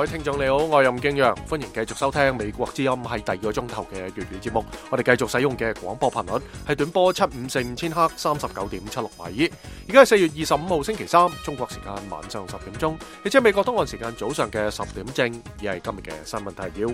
各位聽眾你好，我係任敬陽，歡迎繼續收聽美國之音係第二個鐘頭嘅粵語節目。我哋繼續使用嘅廣播頻率係短波7545千赫39.76米。而家係4月25號星期三，中國時間晚上10點鐘，亦即係美國東岸時間早上嘅10點正。而係今日嘅新聞提要。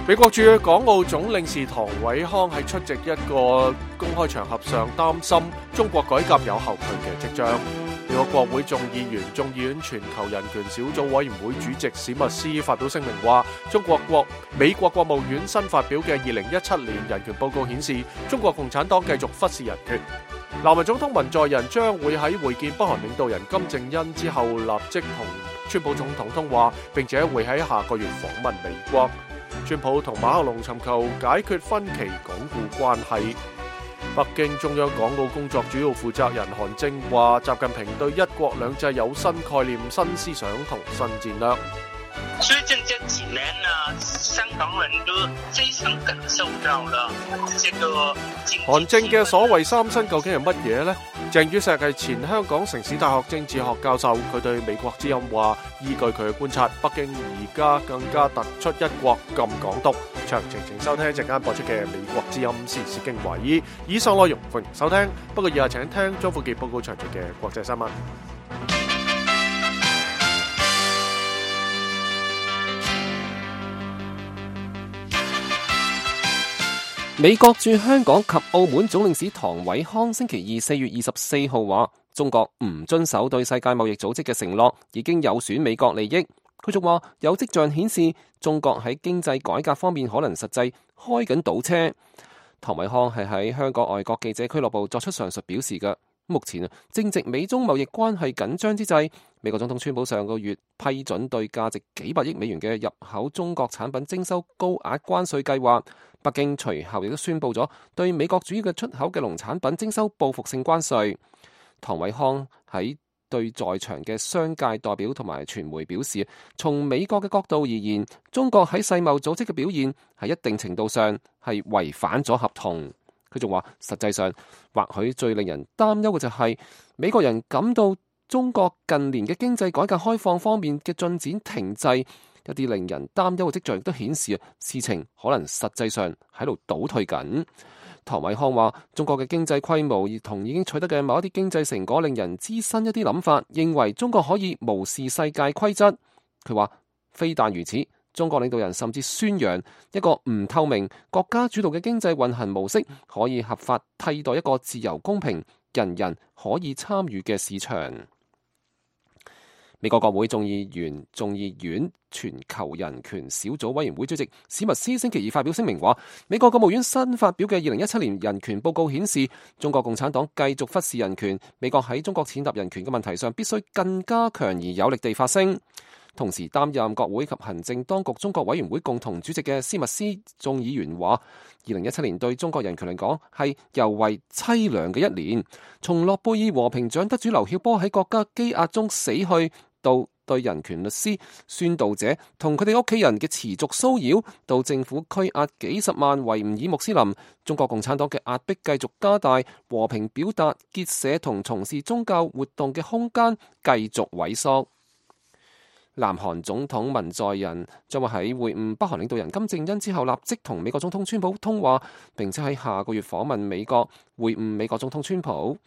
美國駐港澳總領事唐偉康喺出席一個公開場合上擔心中國改革有後退嘅跡象。美國國會眾議院全球人權小組委員會主席史密斯發表聲明話，美國國務院新發表嘅2017年人權報告顯示，中國共產黨繼續忽視人權。南韓總統文在寅將會喺會見北韓領導人金正恩之後立即同川普總統通話，並且會喺下個月訪問美國。川普同馬克龍尋求解決分歧，鞏固關係。北京中央港澳工作主要負責人韓正話，習近平對一國兩制有新概念、新思想同新戰略。最近這幾年呢，香港人都非常感受到了這個韓正嘅所謂三新究竟係乜嘢呢？鄭宇碩係前香港城市大學政治學教授，佢對美國之音話，依據佢嘅觀察，北京而家更加突出一國禁港獨。詳情請收聽一陣間播出嘅美國之音時事經緯。以上內容歡迎收聽，不過以下請聽張富傑報告詳盡嘅國際新聞。美國駐香港及澳門總領事唐偉康星期二4月24號話，中國唔遵守對世界貿易組織嘅承諾，已經有損美國利益。佢仲話有跡象顯示中國喺經濟改革方面可能實際開緊倒車。唐偉康係喺香港外國記者俱樂部作出上述表示嘅。目前正值美中貿易關係緊張之際，美國總統川普上個月批准對價值幾百億美元嘅入口中國產品徵收高額關稅計劃。北京隨後亦都宣布咗對美國主要嘅出口嘅農產品徵收報復性關稅。唐偉康喺對在場嘅商界代表同埋傳媒表示，從美國嘅角度而言，中國喺世貿組織嘅表現喺一定程度上係違反咗合同。佢仲話，實際上或許最令人擔憂嘅就係美國人感到中國近年嘅經濟改革開放方面嘅進展停滯。一啲令人擔憂嘅跡象亦都顯示事情可能實際上喺度倒退緊。唐偉康話，中國嘅經濟規模同已經取得嘅某一啲經濟成果令人滋生一啲諗法，認為中國可以無視世界規則。佢話，非但如此，中國領導人甚至宣揚一個唔透明、國家主導嘅經濟運行模式，可以合法替代一個自由、公平、人人可以參與嘅市場。美國國會眾議院全球人權小組委員會主席史密斯星期二發表聲明話，美國國務院新發表嘅2017年人權報告顯示，中國共產黨繼續忽視人權，美國喺中國踐踏人權嘅問題上必須更加強而有力地發聲。同時擔任國會及行政當局中國委員會共同主席嘅史密斯眾議員話，2017年對中國人權嚟講係尤為淒涼嘅一年，從諾貝爾和平獎得主劉曉波喺國家羈押中死去，到對人權律師、宣導者同佢哋屋企人嘅持續騷擾，到政府拘押幾十萬維吾爾穆斯林，中國共產黨嘅壓迫繼續加大，和平表達、結社同從事宗教活動嘅空間繼續萎縮。南韓總統文在寅將會喺會晤北韓領導人金正恩之後，立即同美國總統川普通話，並且喺下個月訪問美國，會晤美國總統川普。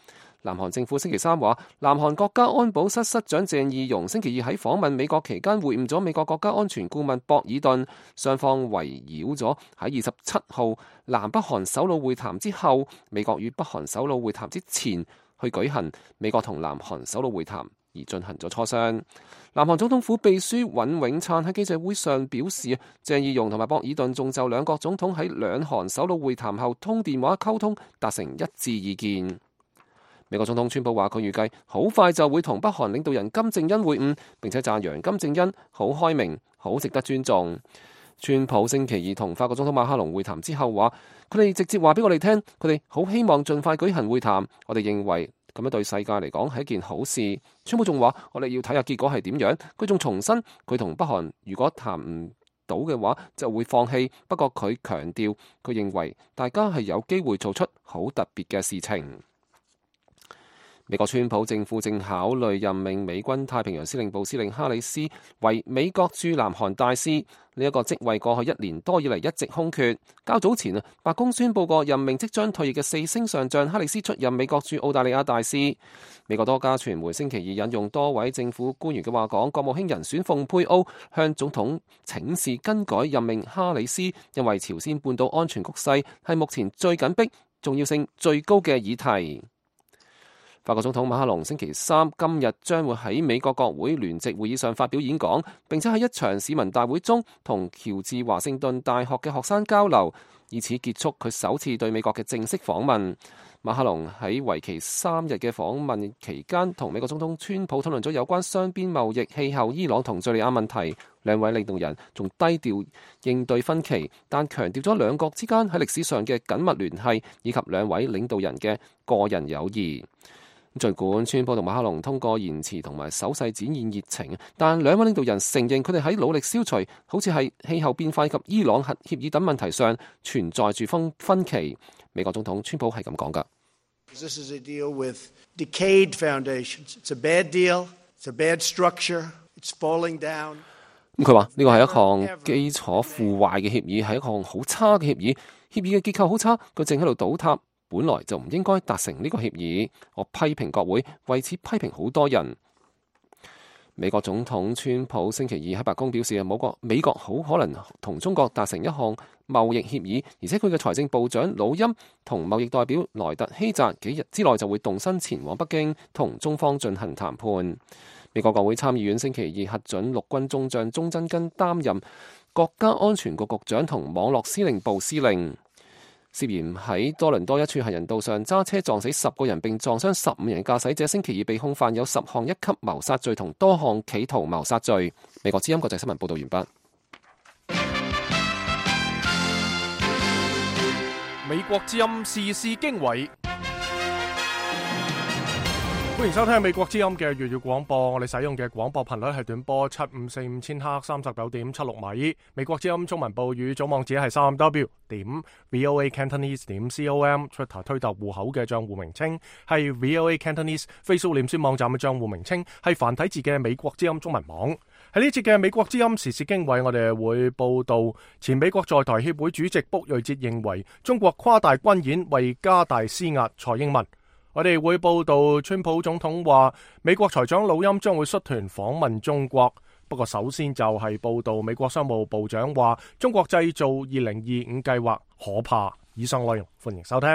南韓政府星期三話，南韓國家安保室室長鄭義溶星期二喺訪問美國期間會晤咗美國國家安全顧問博爾頓，雙方圍繞咗喺27號南北韓首腦會談之後，美國與北韓首腦會談之前去舉行美國同南韓首腦會談而進行咗磋商。南韓總統府秘書尹永燦喺記者會上表示，鄭義溶同埋博爾頓仲就兩國總統喺兩韓首腦會談後通電話溝通達成一致意見。美國總統川普話，佢預計好快就會同北韓領導人金正恩會晤，並且讚揚金正恩好開明，好值得尊重。川普星期二同法國總統馬克龍會談之後話，佢哋直接話俾我哋聽，佢哋好希望盡快舉行會談，我哋認為咁樣對世界嚟講係一件好事。川普仲話，我哋要睇下結果係點樣。佢仲重申，佢同北韓如果談唔到嘅話就會放棄，不過佢強調佢認為大家係有機會做出好特別嘅事情。美國川普政府正考慮任命美軍太平洋司令部司令哈里斯為美國駐南韓大使，呢一個職位過去1年多以嚟一直空缺。較早前白宮宣布過任命即將退役嘅4星上將哈里斯出任美國駐澳大利亞大使。美國多家傳媒星期二引用多位政府官員嘅話講，國務卿人選蓬佩奧向總統請示更改任命哈里斯，因為朝鮮半島安全局勢係目前最緊迫、重要性最高嘅議題。法國總統馬克龍星期三今日將會喺美國國會聯席會議上發表演講，並且喺一場市民大會中同喬治華盛頓大學嘅學生交流，以此結束佢首次對美國嘅正式訪問。馬克龍喺為期3日嘅訪問期間，同美國總統川普討論咗有關雙邊貿易、氣候、伊朗同敘利亞問題。兩位領導人仲低調應對分歧，但強調咗兩國之間喺歷史上嘅緊密聯繫，以及兩位領導人嘅個人友誼。儘管川普同馬克龍通過言辭同埋手勢展現熱情，但兩位領導人承認佢哋喺努力消除好似係氣候變化及伊朗核協議等問題上存在住分歧。美國總統川普係咁講㗎。This is a deal with decayed foundations. It's a bad deal. It's a bad structure. It's falling down. 佢話呢個係一項基礎腐壞嘅協議，係一項好差嘅協議。協議嘅結構好差，佢正喺度倒塌。本來就唔應該達成呢個協議，我批評國會，為此批評好多人。美國總統川普星期二喺白宮表示，美國好可能同中國達成一項貿易協議，而且佢嘅財政部長魯欽同貿易代表萊特希澤幾日之內就會動身前往北京同中方進行談判。美國國會參議院星期二核准陸軍中將鐘真根擔任國家安全局局長同網絡司令部司令。涉嫌喺多倫多一處行人道上揸車撞死10個人並撞傷15人駕駛者，星期二被控犯有10項一級謀殺罪同多項企圖謀殺罪。美國之音國際新聞報道完畢。美國之音時事經緯。歡迎收聽美國之音嘅粵語廣播，我哋使用嘅廣播頻率係短波7545千赫39.76米。美國之音中文部語組網址係3w.voacantonese.com，Twitter 推特戶口嘅賬戶名稱係 VOA Cantonese，Facebook 臉書網站嘅賬戶名稱係繁體字嘅美國之音中文網。喺呢節嘅美國之音時事經緯，我哋會報道前美國在台協會主席卜瑞哲認為中國誇大軍演為加大施壓蔡英文。我哋會報道川普總統話美國財長魯欽將會率團訪問中國，不過首先就係報道美國商務部長話中國製造2025計劃可怕。以上內容歡迎收聽。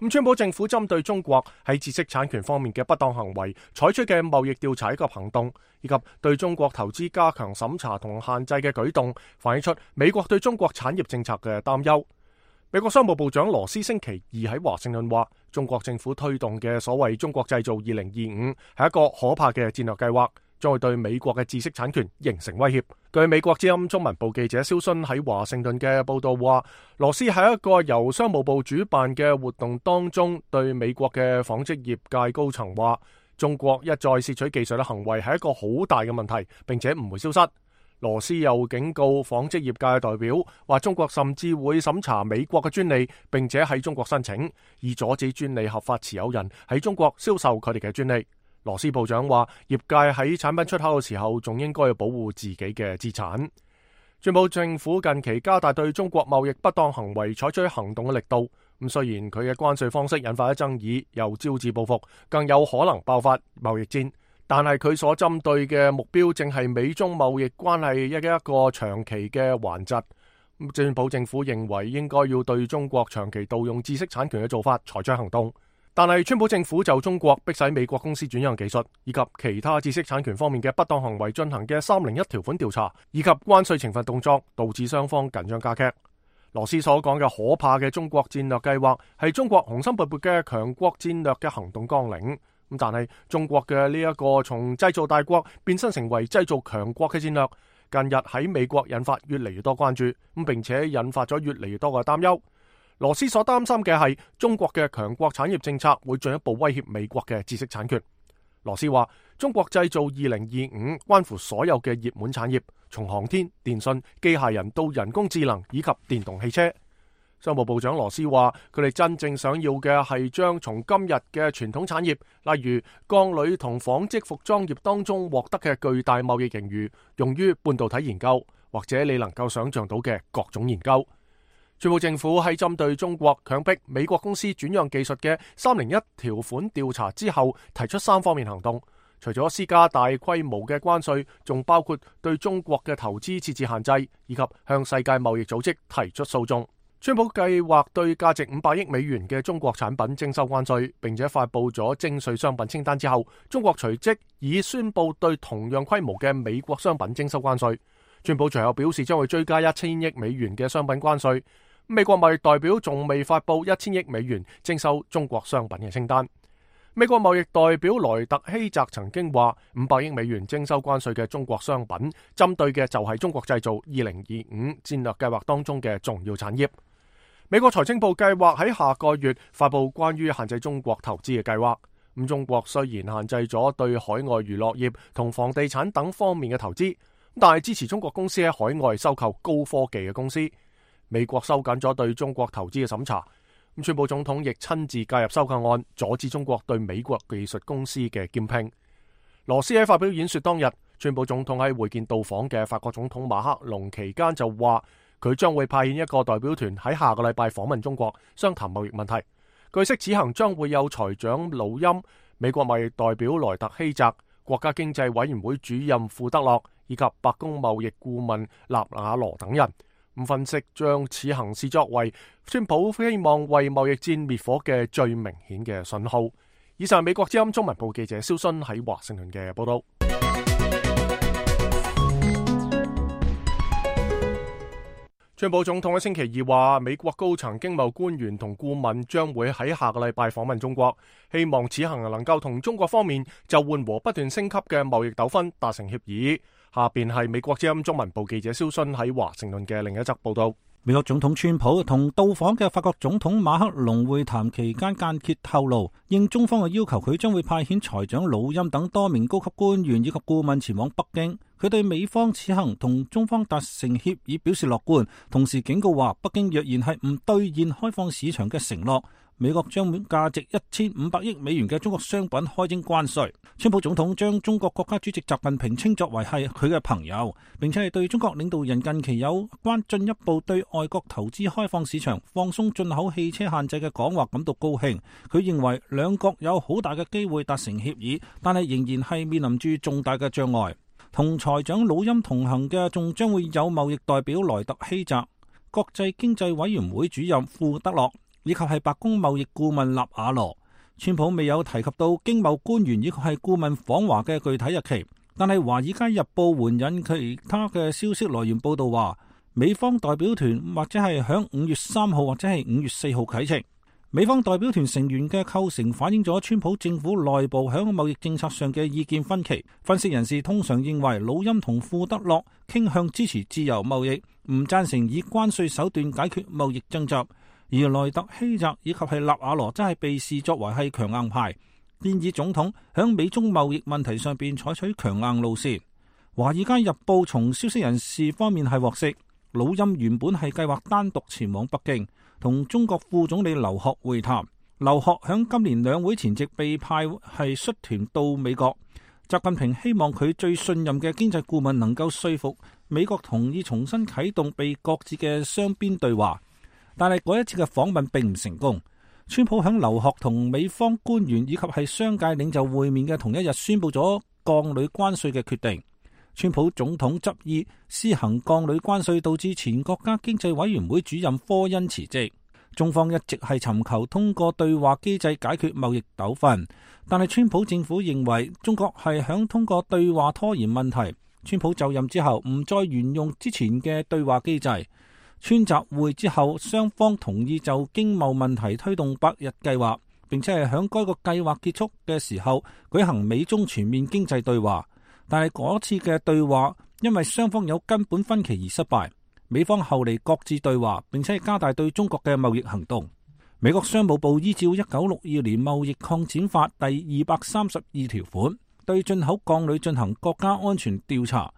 川普政府針對中國喺知識產權方面嘅不當行為採取嘅貿易調查及行動，以及對中國投資加強審查同限制嘅舉動，反映出美國對中國產業政策嘅擔憂。美國商務部長羅斯星期二喺華盛頓話，中國政府推動嘅所謂中國製造2025係一個可怕嘅戰略計劃，將會對美國嘅知識產權形成威脅。據美國之音中文部記者蕭勳喺華盛頓嘅報道話，羅斯喺一個由商務部主辦嘅活動當中，對美國嘅紡織業界高層話，中國一再竊取技術嘅行為係一個好大嘅問題，並且唔會消失。羅斯又警告紡織業界代表，話中國甚至會審查美國嘅專利，並且喺中國申請，以阻止專利合法持有人喺中國銷售佢哋嘅專利。羅斯部長話，業界喺產品出口嘅時候，仲應該要保護自己嘅資產。川普政府近期加大對中國貿易不當行為採取行動嘅力度，咁雖然佢嘅關稅方式引發咗爭議，又招致報復，更有可能爆發貿易戰。但係佢所針對嘅目標正係美中貿易關係一個長期嘅頑疾。川普政府認為應該要對中國長期盜用知識產權嘅做法採取行動，但係川普政府就中國迫使美國公司轉讓技術以及其他知識產權方面嘅不當行為進行嘅301條款調查，以及關稅懲罰動作，導致雙方緊張加劇。羅斯所講嘅可怕嘅中國戰略計劃係中國雄心勃勃嘅強國戰略嘅行動綱領。但係中國嘅呢一個從製造大國變身成為製造強國嘅戰略，近日喺美國引發越嚟越多關注，並且引發咗越嚟越多嘅擔憂。羅斯所擔心嘅係中國嘅強國產業政策會進一步威脅美國嘅知識產權。羅斯話，中國製造2025關乎所有嘅熱門產業，從航天、電信、機械人到人工智能以及電動汽車。商務部長羅斯話，佢哋真正想要嘅係將從今日嘅傳統產業，例如鋼鋁同紡織服裝業當中獲得嘅巨大貿易盈餘，用於半導體研究，或者你能夠想象到嘅各種研究。川普政府喺針對中國強迫美國公司轉讓技術嘅301條款調查之後，提出3方面行動。除咗施加大規模嘅關稅，仲包括對中國嘅投資設置限制，以及向世界貿易組織提出訴訟。川普計劃對價值500億美元嘅中國產品徵收關稅，並且發佈咗徵稅商品清單之後，中國隨即已宣佈對同樣規模嘅美國商品徵收關稅。川普隨後表示將會追加1000億美元嘅商品關稅。美國貿易代表仲未發佈1000億美元徵收中國商品嘅清單。美國貿易代表萊特希澤曾經話，500億美元徵收關稅嘅中國商品，針對嘅就係中國製造2025戰略計劃當中嘅重要產業。美國財政部計劃喺下個月發佈關於限制中國投資嘅計劃。中國雖然限制咗對海外娛樂業同房地產等方面嘅投資，但係支持中國公司喺海外收購高科技嘅公司。美國收緊咗對中國投資嘅審查。川普總統亦親自介入收購案，阻止中國對美國技術公司嘅兼併。羅斯喺發表演說當日，川普總統喺會見到訪嘅法國總統馬克龍期間就話，佢將會派遣一個代表團喺下個禮拜訪問中國，商談貿易問題。據悉此行將會有財長魯欽、美國貿易代表萊特希澤、國家經濟委員會主任庫德洛以及白宮貿易顧問納瓦羅等人。分析將此行視作為川普希望為貿易戰滅火嘅最明顯嘅信號。以上美國之音中文部記者蕭순喺華盛頓嘅報道。川普總統喺星期二話，美國高層經貿官員同顧問將會喺下個禮拜訪問中國，希望此行能夠同中國方面就緩和不斷升級嘅貿易糾紛達成協議。下邊係美國之音中文部記者蕭순喺華盛頓嘅另一則報道。美國總統川普同到訪嘅法國總統馬克龍會談期間間歇透露，應中方嘅要求，佢將會派遣財長魯欽等多名高級官員以及顧問前往北京。佢對美方此行同中方達成協議表示樂觀，同時警告話，北京若然係唔兌現開放市場嘅承諾，美國將會價值1500億美元嘅中國商品開徵關稅。川普總統將中國國家主席習近平稱作為係佢嘅朋友，並且係對中國領導人近期有關進一步對外國投資開放市場、放鬆進口汽車限制嘅講話感到高興。佢認為兩國有好大嘅機會達成協議，但係仍然係面臨住重大嘅障礙。同財長魯欽同行嘅仲將會有貿易代表萊特希澤、國際經濟委員會主任庫德洛，以及係白宮貿易顧問納瓦羅。川普未有提及到經貿官員以及係顧問訪華嘅具體日期，但係華爾街日報援引其他嘅消息來源報道話，美方代表團或者係響5月3號或者係5月4號啟程。美方代表團成員嘅構成反映咗川普政府內部響貿易政策上嘅意見分歧。分析人士通常認為魯欽同庫德洛傾向支持自由貿易，唔贊成以關稅手段解決貿易爭執。而萊特希澤以及係納瓦羅真係被視作為係強硬派，建議總統響美中貿易問題上邊採取強硬路線。華爾街日報從消息人士方面係獲悉，魯欽原本係計劃單獨前往北京同中國副總理劉鶴會談。劉鶴響今年兩會前夕被派係率團到美國。習近平希望佢最信任嘅經濟顧問能夠說服美國同意重新啟動被擱置嘅雙邊對話。但係嗰一次嘅訪問並唔成功。川普響劉鶴同美方官員以及係商界領袖會面嘅同一日宣布咗鋼鋁關稅嘅決定。川普總統執意施行鋼鋁關稅，導致前國家經濟委員會主任科恩辭職。中方一直係尋求通過對話機制解決貿易糾紛，但係川普政府認為中國係響通過對話拖延問題。川普就任之後唔再沿用之前嘅對話機制。川習會之後，雙方同意就經貿問題推動百日計劃，並且係響該個計劃結束嘅時候舉行美中全面經濟對話。但係嗰次嘅對話因為雙方有根本分歧而失敗，美方後嚟擱置對話，並且係加大對中國嘅貿易行動。美國商務部依照1962年貿易擴展法第232條款，對進口鋼鋁進行國家安全調查，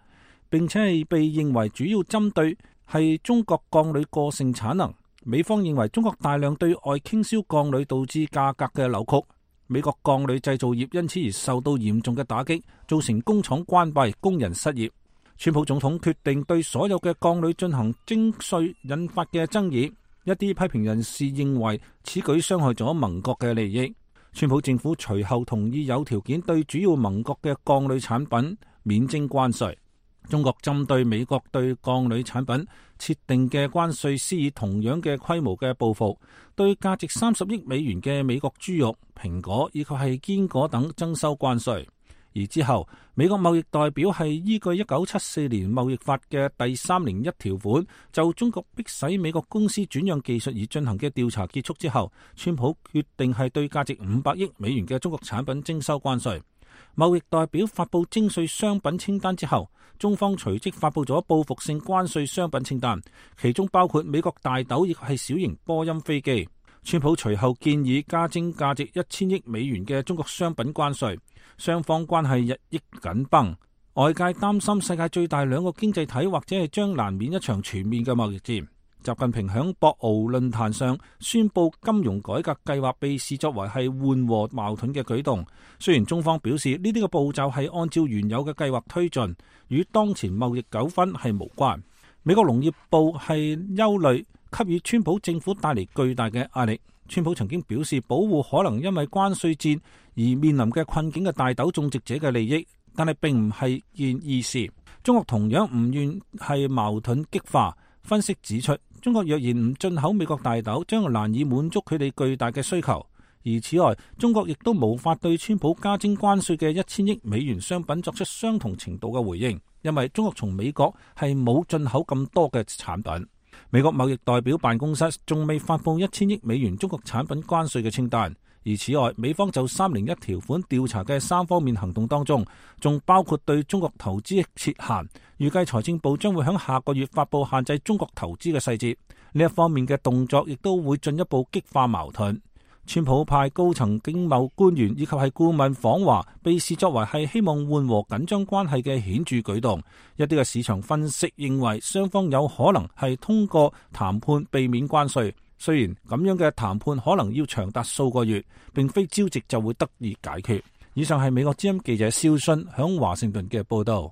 並且係被認為主要針對係中國鋼鋁過剩產能，美方認為中國大量對外傾銷鋼鋁導致價格嘅扭曲，美國鋼鋁製造業因此而受到嚴重嘅打擊，造成工廠關閉、工人失業。川普總統決定對所有嘅鋼鋁進行徵稅，引發嘅爭議。一啲批評人士認為此舉傷害咗盟國嘅利益。川普政府隨後同意有條件對主要盟國嘅鋼鋁產品免徵關稅。中國針對美國對鋼鋁產品設定嘅關稅施以同樣嘅規模嘅報復，對價值30億美元嘅美國豬肉、蘋果以及係堅果等徵收關稅。而之後，美國貿易代表係依據1974年貿易法嘅第301條款，就中國迫使美國公司轉讓技術而進行嘅調查結束之後，川普決定係對價值500億美元嘅中國產品徵收關稅。貿易代表發布徵稅商品清單之後，中方隨即發布咗報復性關稅商品清單，其中包括美國大豆以及係小型波音飛機。川普隨後建議加徵價值1000億美元嘅中國商品關稅，雙方關係日益緊繃。外界擔心世界最大兩個經濟體或者係將難免一場全面嘅貿易戰。習近平響博鰲論壇上宣布金融改革計劃被視作為係緩和矛盾嘅舉動。雖然中方表示呢啲嘅步驟係按照原有嘅計劃推進，與當前貿易糾紛係無關。美國農業部係憂慮給予川普政府帶嚟巨大嘅壓力。川普曾經表示保護可能因為關稅戰而面臨嘅困境嘅大豆種植者嘅利益，但係並唔係件易事。中國同樣唔願係矛盾激化。分析指出，中國若然唔進口美國大豆，將難以滿足佢哋巨大嘅需求。而此外，中國亦都無法對川普加徵關稅嘅1000億美元商品作出相同程度嘅回應，因為中國從美國係冇進口咁多嘅產品。美國貿易代表辦公室仲未發布1000億美元中國產品關稅嘅清單。而此外，美方就301條款調查嘅3方面行動當中，仲包括對中國投資設限。預計財政部將會喺下個月發布限制中國投資嘅細節。呢一方面嘅動作亦都會進一步激化矛盾。川普派高層經貿官員以及係顧問訪華，被視作為係希望緩和緊張關係嘅顯著舉動。一啲嘅市場分析認為，雙方有可能係通過談判避免關稅。雖然咁樣嘅談判可能要長達數個月，並非朝夕就會得以解決。以上係美國之音記者蕭迅響華盛頓嘅報道。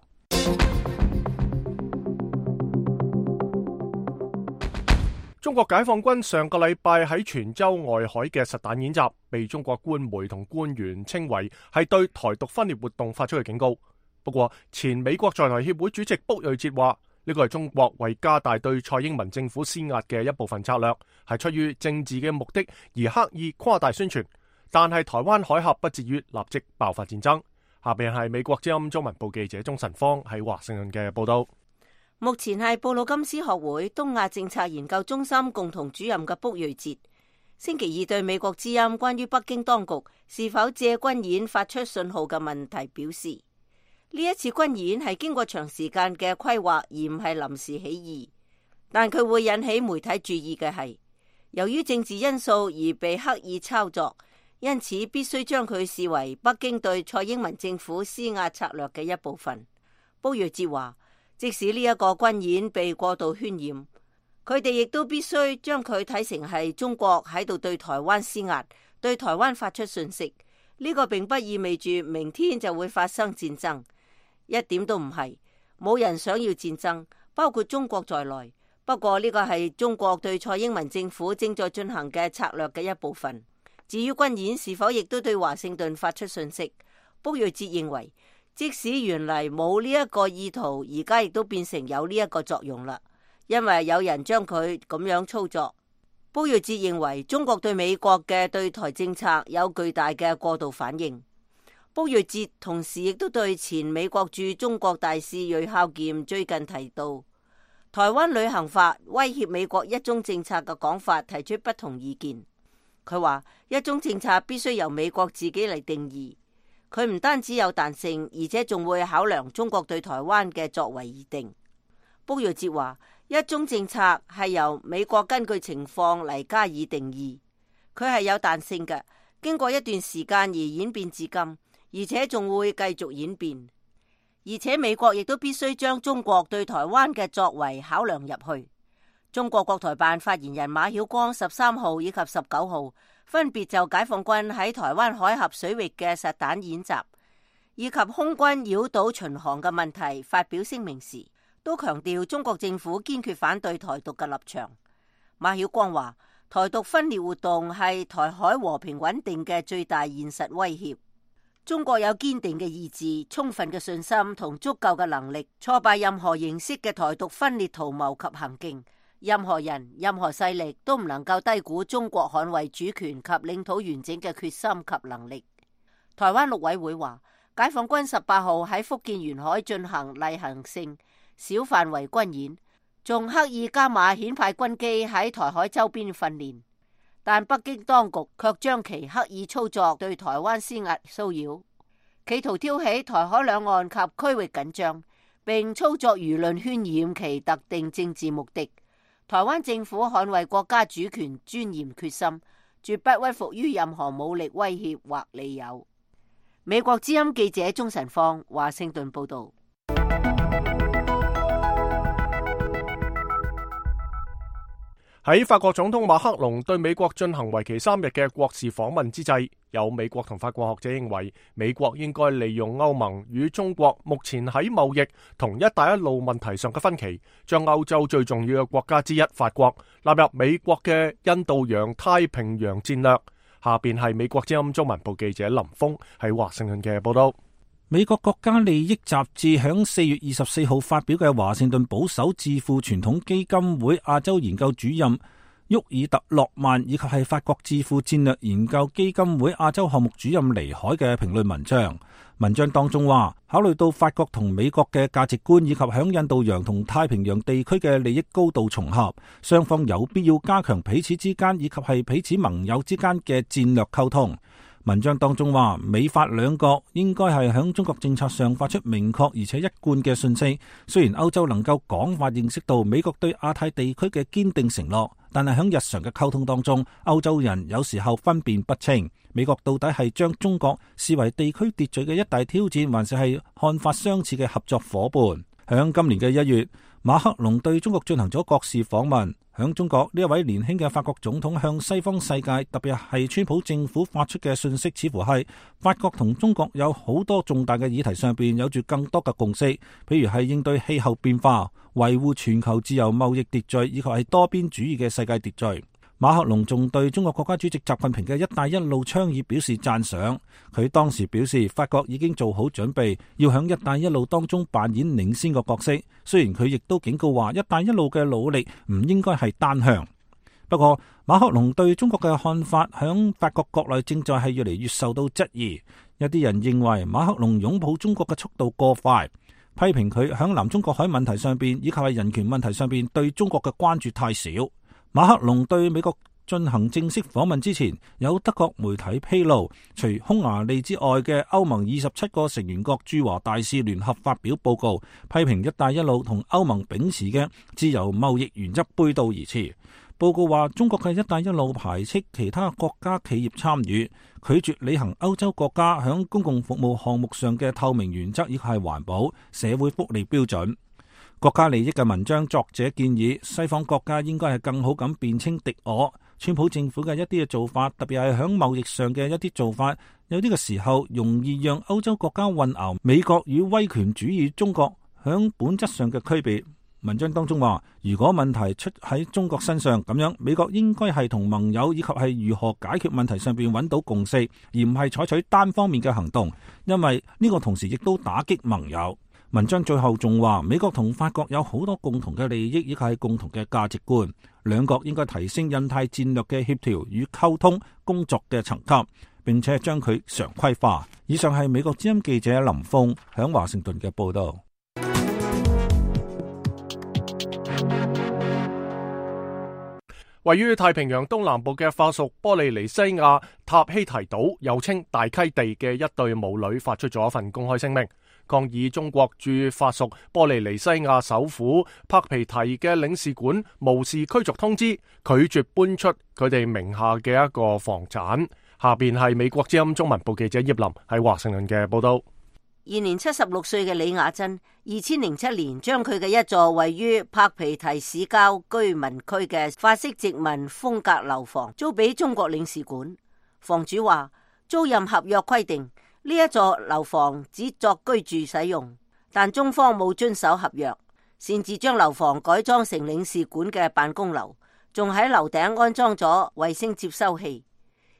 中國解放軍上個禮拜喺泉州外海嘅實彈演習，被中國官媒同官員稱為係對台獨分裂活動發出嘅警告。不過，前美國在台協會主席卜瑞哲話，呢個係中國為加大對蔡英文政府施壓嘅一部分策略，係出於政治嘅目的而刻意誇大宣傳。但係台灣海峽不至於立即爆發戰爭。下邊係美國之音中文部記者鍾晨芳喺華盛頓嘅報道。目前係布魯金斯學會東亞政策研究中心共同主任嘅卜瑞哲，星期二對美國之音關於北京當局是否借軍演發出信號嘅問題表示，呢一次軍演係經過長時間嘅規劃，而唔係臨時起意。但佢會引起媒體注意嘅係，由於政治因素而被刻意操作，因此必須將佢視為北京對蔡英文政府施壓策略嘅一部分。卜瑞哲話，即使呢一個軍演被過度渲染，佢哋亦都必須將佢睇成係中國喺度對台灣施壓，對台灣發出訊息。呢個並不意味住明天就會發生戰爭，一點都唔係，冇人想要戰爭，包括中國在內。不過呢個係中國對蔡英文政府正在進行嘅策略嘅一部分。至於軍演是否亦都對華盛頓發出訊息，卜瑞哲認為，即使原嚟冇呢一個意圖，而家亦都變成有呢一個作用啦，因為有人將佢咁樣操作。卜瑞哲認為中國對美國嘅對台政策有巨大嘅過度反應。卜瑞哲同時亦都對前美國駐中國大使瑞孝儉最近提到台灣旅行法威脅美國一中政策嘅講法提出不同意見。佢話一中政策必須由美國自己嚟定義。佢唔單止有彈性，而且仲會考量中國對台灣嘅作為而定。卜瑞哲話，一中政策係由美國根據情況嚟加以定義，佢係有彈性嘅，經過一段時間而演變至今，而且仲會繼續演變。而且美國亦都必須將中國對台灣嘅作為考量入去。中國國台辦發言人馬曉光13號以及19號分別就解放軍喺台灣海峽水域嘅實彈演習以及空軍繞島巡航嘅問題發表聲明時，都強調中國政府堅決反對台獨嘅立場。馬曉光話，台獨分裂活動係台海和平穩定嘅最大現實威脅。中國有堅定嘅意志、充分嘅信心同足夠嘅能力，挫敗任何形式嘅台獨分裂圖謀及行徑。任何人、任何勢力都唔能夠低估中國捍衛主權及領土完整嘅決心及能力。台灣陸委會話，解放軍18號喺福建沿海進行例行性小範圍軍演，仲刻意加碼遣派軍機喺台海周邊訓練，但北京當局卻將其刻意操作對台灣施壓騷擾，企圖挑起台海兩岸及區域緊張，並操作輿論渲染其特定政治目的。台灣政府捍衛國家主權尊嚴決心，絕不屈服於任何武力威脅或利誘。美國之音記者鍾晨芳華盛頓報道。喺法國總統馬克龍對美國進行為期3日嘅國事訪問之際，有美國同法國學者認為，美國應該利用歐盟與中國目前喺貿易同一帶一路問題上嘅分歧，將歐洲最重要嘅國家之一法國納入美國嘅印度洋太平洋戰略。下邊係美國之音中文部記者林峰喺華盛頓嘅報道。美國國家利益雜誌響4月24號發表嘅華盛頓保守智庫傳統基金會亞洲研究主任沃爾特洛曼，以及係法國智庫戰略研究基金會亞洲項目主任尼海嘅評論文章。文章當中話，考慮到法國同美國嘅價值觀以及響印度洋同太平洋地區嘅利益高度重合，雙方有必要加強彼此之間以及係彼此盟友之間嘅戰略溝通。文章當中話，美法兩國應該係響中國政策上發出明確而且一貫嘅信息。雖然歐洲能夠廣泛認識到美國對亞太地區嘅堅定承諾，但係響日常嘅溝通當中，歐洲人有時候分辨不清，美國到底係將中國視為地區秩序嘅一大挑戰，還是係看法相似嘅合作夥伴。響今年嘅1月，馬克龍對中國進行咗國事訪問。響中國，呢一位年輕嘅法國總統向西方世界，特別係川普政府發出嘅信息，似乎係法國同中國有好多重大嘅議題上邊有住更多嘅共識，譬如係應對氣候變化、維護全球自由貿易秩序，以及係多邊主義嘅世界秩序。馬克龍仲對中國國家主席習近平嘅一帶一路倡議表示讚賞。佢當時表示，法國已經做好準備，要響一帶一路當中扮演領先嘅角色。雖然佢亦都警告話，一帶一路嘅努力唔應該係單向。不過，馬克龍對中國嘅看法響法國國內正在係越嚟越受到質疑。有啲人認為馬克龍擁抱中國嘅速度過快，批評佢響南中國海問題上邊以及係人權問題上邊對中國嘅關注太少。馬克龍對美國進行正式訪問之前，有德國媒體披露，除匈牙利之外嘅歐盟27個成員國駐華大使聯合發表報告，批評一帶一路同歐盟秉持嘅自由貿易原則背道而馳。報告話，中國嘅一帶一路排斥其他國家企業參與，拒絕履行歐洲國家響公共服務項目上嘅透明原則，以及係環保、社會福利標準。國家利益嘅文章作者建議，西方國家應該係更好咁辨清敵我。川普政府嘅一啲嘅做法，特別係響貿易上嘅一啲做法，有啲嘅時候容易讓歐洲國家混淆美國與威權主義中國響本質上嘅區別。文章當中話，如果問題出喺中國身上，咁樣美國應該係同盟友以及係如何解決問題上邊揾到共識，而唔係採取單方面嘅行動，因為呢個同時亦都打擊盟友。文章最後仲話，美國同法國有好多共同嘅利益，以及係共同嘅價值觀，兩國應該提升印太戰略嘅協調與溝通工作嘅層級，並且將佢常規化。以上係美國之音記者林峰響華盛頓嘅報道。位於太平洋東南部嘅法屬波利尼西亞塔希提島，又稱大溪地嘅一對母女發出咗一份公開聲明，抗議中國駐法屬波利尼西亞首府帕皮提嘅領事館無視驅逐通知，拒絕搬出佢哋名下嘅一個房產。下邊係美國之音中文部記者葉林喺華盛頓嘅報道。現年76歲嘅李雅珍，2007年將佢嘅一座位於柏皮提市郊居民區嘅法式殖民風格樓房租俾中國領事館。房主話，租賃合約規定呢一座樓房只作居住使用，但中方冇遵守合約，擅自將樓房改裝成領事館嘅辦公樓，仲喺樓頂安裝咗衛星接收器。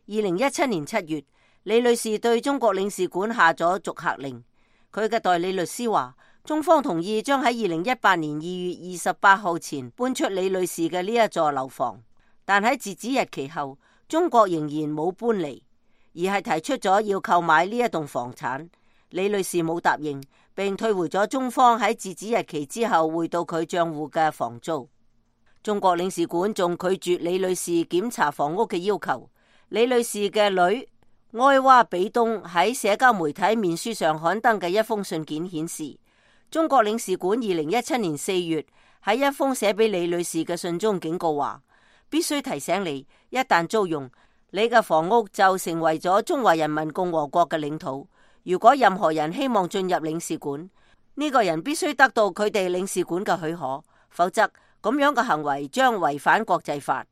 2017年7月，李女士對中國領事館下咗逐客令。佢嘅代理律師話，中方同意將喺2018年2月28號前搬出李女士嘅呢一座樓房，但喺截止日期後，中國仍然冇搬離，而係提出咗要購買呢一棟房產。李女士冇答應，並退回咗中方喺截止日期之後匯到佢賬戶嘅房租。中國領事館仲拒絕李女士檢查房屋嘅要求。李女士嘅女埃娃比東喺社交媒體面書上刊登嘅一封信件顯示，中國領事館2017年4月喺一封寫俾李女士嘅信中警告話，必須提醒你，一旦租用，你嘅房屋就成為咗中華人民共和國嘅領土。如果任何人希望進入領事館，呢個人必須得到佢哋領事館嘅許可，否則咁樣嘅行為將違反國際法。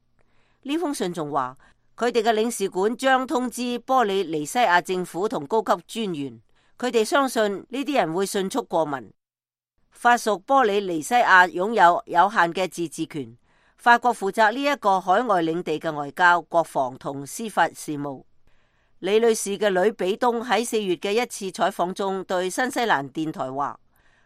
呢封信仲話，佢哋嘅領事館將通知波里尼西亞政府同高級專員，佢哋相信呢啲人會迅速過問。法屬波里尼西亞擁有有限嘅自治權，法國負責呢一個海外領地嘅外交、國防同司法事務。李女士嘅女比東喺4月嘅一次採訪中對新西蘭電台話，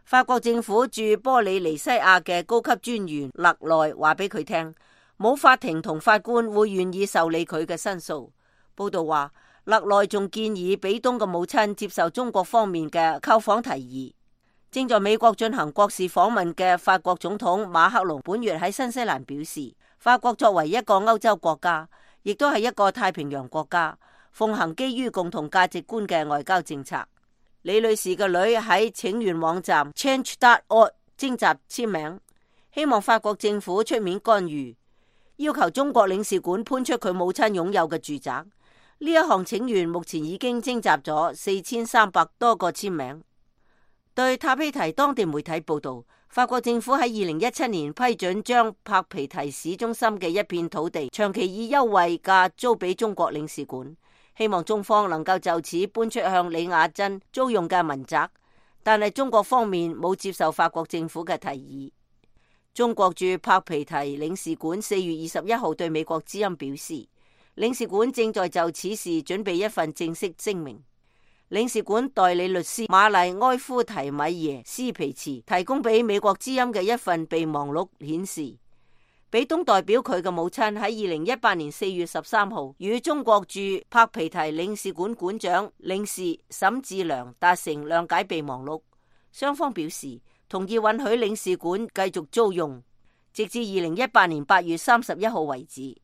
法國政府駐波里尼西亞嘅高級專員勒內話俾佢聽，冇法庭同法官會願意受理佢嘅申訴。報道話，勒內仲建議比東嘅母親接受中國方面嘅購訪提議。正在美國進行國事訪問嘅法國總統馬克龍本月喺新西蘭表示，法國作為一個歐洲國家，亦都係一個太平洋國家，奉行基於共同價值觀嘅外交政策。李女士嘅女喺請願網站 Change.org 徵集簽名，希望法國政府出面干預，要求中國領事館搬出佢母親擁有嘅住宅。呢一項請願目前已經徵集咗4300多個簽名。對塔皮提當地媒體報道，法國政府喺2017年批准將柏皮提市中心嘅一片土地長期以優惠價租俾中國領事館，希望中方能夠就此搬出向李雅珍租用嘅民宅，但係中國方面冇接受法國政府嘅提議。中國駐柏皮提領事館4月21號對美國之音表示，領事館正在就此事準備一份正式聲明。領事館代理律師瑪麗埃夫提米耶斯皮茨提供俾美國之音嘅一份備忘錄顯示，比東代表佢嘅母親喺2018年4月13號與中國駐柏皮提領事館館長領事沈志良達成諒解備忘錄，雙方表示同意允許領事館繼續租用，直至2018年8月31號為止。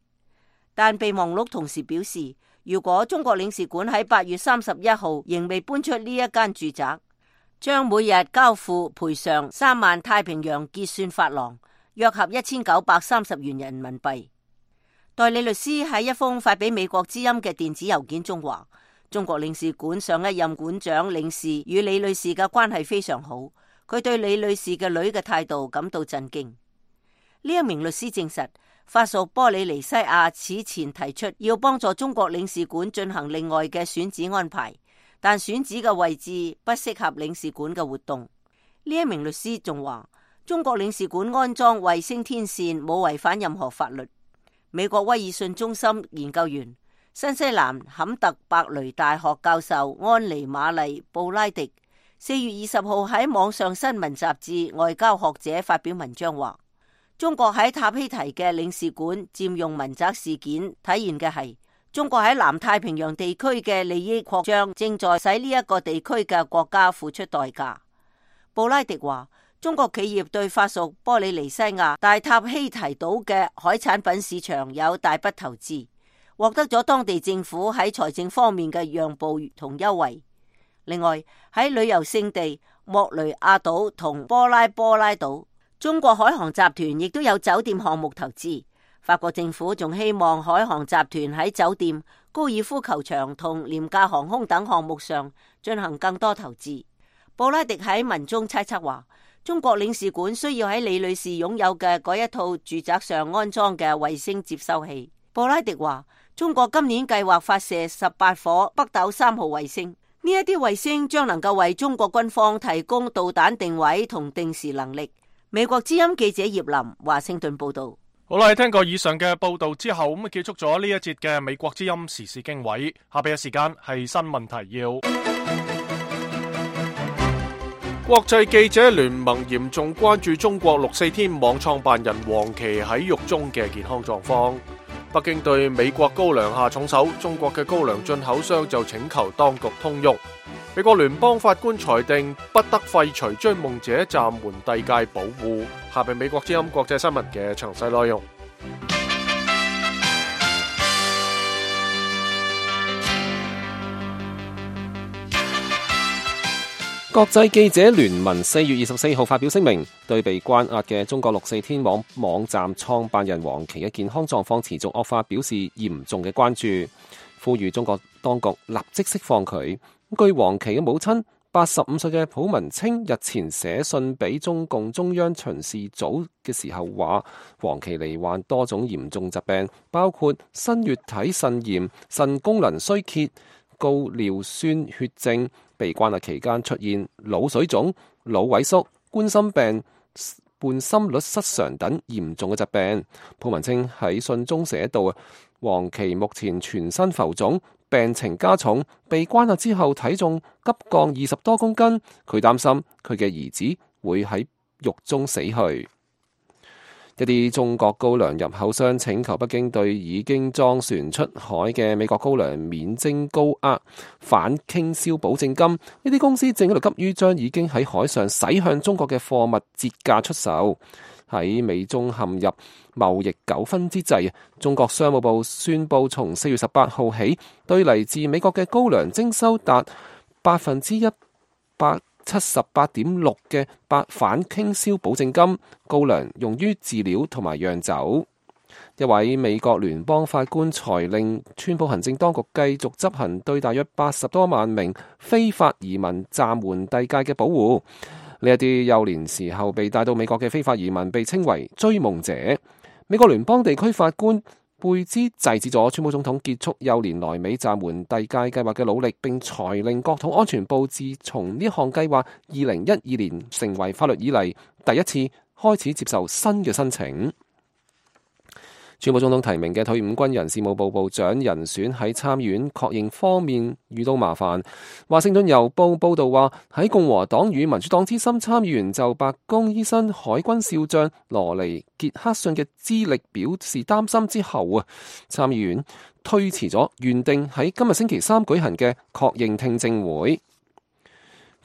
但備忘錄同時表示，如果中國領事館喺8月31號仍未搬出呢一間住宅，將每日交付賠償3萬太平洋結算法郎，約合1930元人民幣。代理律師喺一封發俾美國之音嘅電子郵件中話，中國領事館上一任館長領事與李女士嘅關係非常好，佢對李女士嘅女嘅態度感到震驚。呢一名律師證實，法屬波里尼西亞此前提出要幫助中國領事館進行另外嘅選址安排，但選址嘅位置不適合領事館嘅活動。呢一名律師仲話，中國領事館安裝衛星天線冇違反任何法律。美國威爾遜中心研究員、新西蘭坎特伯雷大學教授安妮瑪麗布拉迪4月20號喺網上新聞雜誌外交學者發表文章話，中國喺塔希提嘅領事館佔用民宅事件體現嘅係中國喺南太平洋地區嘅利益擴張正在使呢一個地區嘅國家付出代價。布拉迪話，中國企業對法屬波里尼西亞大塔希提島嘅海產品市場有大筆投資，獲得咗當地政府喺財政方面嘅讓步同優惠。另外喺旅遊勝地莫雷亞島同波拉島，中國海航集團亦都有酒店項目投資。法國政府仲希望海航集團喺酒店、高爾夫球場同廉價航空等項目上進行更多投資。布拉迪喺文中猜測話，中國領事館需要喺李女士擁有嘅嗰一套住宅上安裝嘅衛星接收器。布拉迪話，中國今年計劃發射18顆北斗3號衛星，呢一啲衛星將能夠為中國軍方提供導彈定位同定時能力。美國之音記者葉林華盛頓報道。好啦，聽過以上嘅報道之後，咁結束咗呢一節嘅美國之音時事經緯。下邊嘅時間係新聞提要。國際記者聯盟嚴重關注中國64天網創辦人王琦喺獄中嘅健康狀況。北京對美國高粱下重手，中國嘅高粱進口商就請求當局通融。美國聯邦法官裁定不得廢除追夢者暫緩遞解保護。下邊美國之音國際新聞嘅詳細內容。國際記者聯盟4月24號發表聲明，對被關押嘅中國64天網站創辦人王琦嘅健康狀況持續惡化表示嚴重嘅關注，呼籲中國當局立即釋放佢。據王琦嘅母親85歲嘅蒲文清日前寫信俾中共中央巡視組嘅時候話，王琦罹患多種嚴重疾病，包括新月體腎炎、腎功能衰竭、高尿酸血症，被關押期間出現腦水腫、腦萎縮、冠心病、伴心律失常等嚴重嘅疾病。蒲文清喺信中寫道，王琦目前全身浮腫，病情加重，被關押之後體重急降20多公斤，佢擔心佢嘅兒子會喺獄中死去。一啲中國高粱入口商請求北京對已經裝船出海嘅美國高粱免徵高額反傾銷保證金。呢啲公司正喺度急於將已經喺海上駛向中國嘅貨物折價出售。喺美中陷入貿易糾紛之際，中國商務部宣布從4月18號起，對嚟自美國嘅高粱徵收達178.6%嘅反傾銷保證金，高粱用於飼料同埋釀酒。一位美國聯邦法官裁令川普行政當局繼續執行對大約80多萬名非法移民暫緩遞解嘅保護。呢一啲幼年時候被帶到美國嘅非法移民被稱為追夢者。美國聯邦地區法官貝茲制止咗川普總統結束幼年來美暫緩遞解計劃嘅努力，並裁令國土安全部自從呢項計劃2012年成為法律以嚟第一次開始接受新嘅申請。川普總統提名嘅退伍軍人事務部部長人選喺參議院確認方面遇到麻煩。華盛頓郵報報道話，喺共和黨與民主黨資深參議員就白宮醫生海軍少將羅尼傑克遜嘅資歷表示擔心之後參議院推遲咗原定喺今日星期3舉行嘅確認聽證會。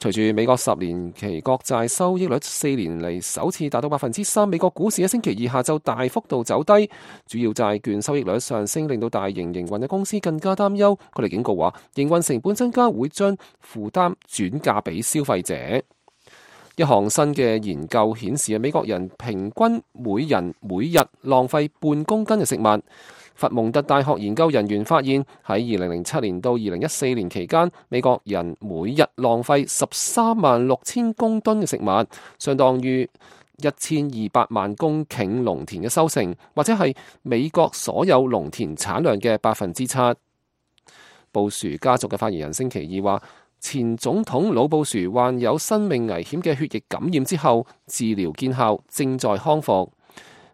隨住美國10年期國債收益率4年嚟首次達到3%，美國股市喺星期二下晝大幅度走低，主要債券收益率上升，令到大型營運嘅公司更加擔憂。佢哋警告話，營運成本增加會將負擔轉嫁俾消費者。一項新嘅研究顯示，美國人平均每人每日浪費半公斤嘅食物。佛蒙特大學研究人員發現，喺2007年到2014年期間，美國人每日浪費136000公噸嘅食物，相當於1200萬公頃農田嘅收成，或者係美國所有農田產量嘅7%。布殊家族嘅發言人星期二話，前總統老布殊患有生命危險嘅血液感染之後，治療見效，正在康復。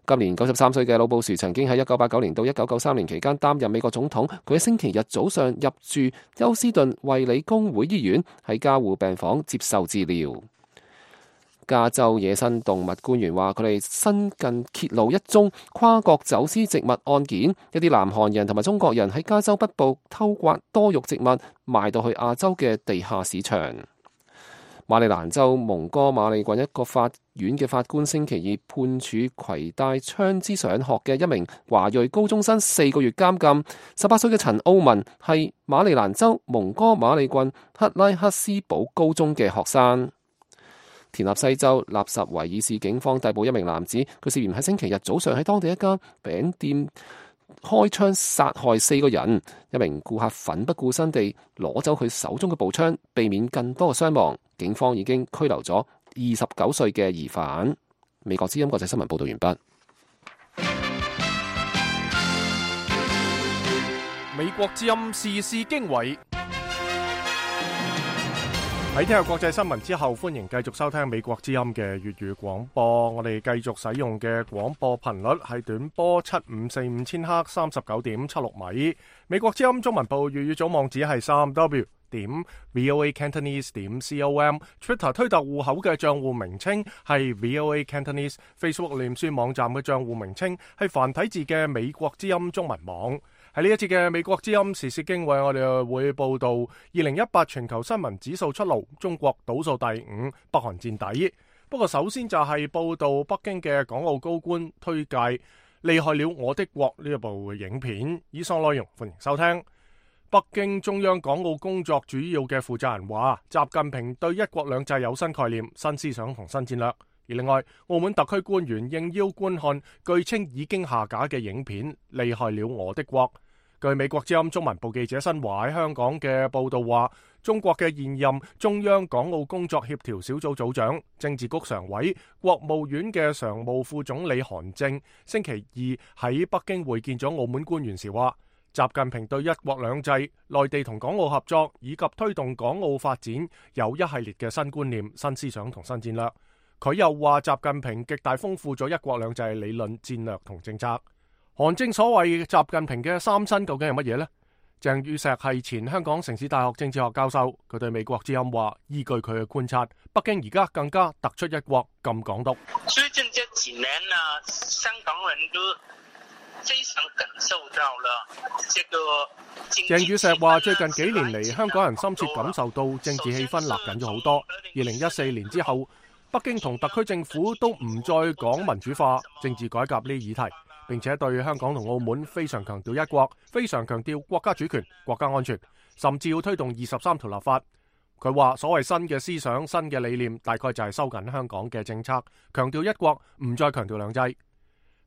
今年93歲嘅老布殊曾經喺1989年到1993年期間擔任美國總統。佢喺星期日早上入住休斯頓衛理公會醫院，喺加護病房接受治療。加州野生動物官員話，佢哋新近揭露一宗跨國走私植物案件，一啲南韓人同埋中國人喺加州北部偷刮多肉植物，賣到去亞洲嘅地下市場。馬里蘭州蒙哥馬利郡一個法院嘅法官星期二判處攜帶槍支上學嘅一名華裔高中生4個月監禁。18歲嘅陳奧文係馬里蘭州蒙哥馬利郡克拉克斯堡高中嘅學生。田納西州納什維爾市警方逮捕一名男子，佢涉嫌喺星期日早上喺當地一間餅店開槍殺害4個人。一名顧客奮不顧身地攞走佢手中嘅步槍，避免更多嘅傷亡。警方已經拘留咗29歲嘅疑犯。美國之音國際新聞報道完畢。美國之音時事經緯。喺聽日國際新聞之後，歡迎繼續收聽美國之音嘅粵語廣播。我哋繼續使用嘅廣播頻率係短波7545千赫39.76米。美國之音中文部粵語組網址係3w.voacantonese.com。Twitter 推特戶口嘅賬戶名稱係 VOA Cantonese。Facebook 臉書網站嘅賬戶名稱係繁體字嘅美國之音中文網。喺呢一節嘅美國之音時事經緯，我哋會報道2018全球新聞指數出爐，中國倒數第5，北韓墊底。不過首先就係報道北京嘅港澳高官推介《厲害了我的國》呢一部影片。以上內容歡迎收聽。北京中央港澳工作主要嘅負責人話，習近平對一國兩制有新概念、新思想同新戰略。而另外，澳門特區官員應邀觀看據稱已經下架嘅影片《厲害了我的國》。據美國之音中文部記者新華喺香港嘅報道話，中國嘅現任中央港澳工作協調小組組長、政治局常委、國務院嘅常務副總理韓正星期二喺北京會見咗澳門官員時話，習近平對一國兩制、內地同港澳合作以及推動港澳發展有一系列嘅新觀念、新思想同新戰略。佢又話，習近平極大豐富咗一國兩制理論、戰略同政策。韓正所謂習近平嘅三新究竟係乜嘢呢？鄭宇碩係前香港城市大學政治學教授，佢對美國之音話，依據佢嘅觀察，北京而家更加突出一國禁港獨。最近這幾年呢，香港人都非常感受到了這個。鄭宇碩話，最近幾年嚟，香港人深切感受到政治氣氛勒緊咗好多。2014年之後，北京同特區政府都唔再講民主化、政治改革呢啲議題，並且對香港同澳門非常強調一國，非常強調國家主權、國家安全，甚至要推動23條立法。佢話所謂新嘅思想、新嘅理念，大概就係收緊香港嘅政策，強調一國，唔再強調兩制。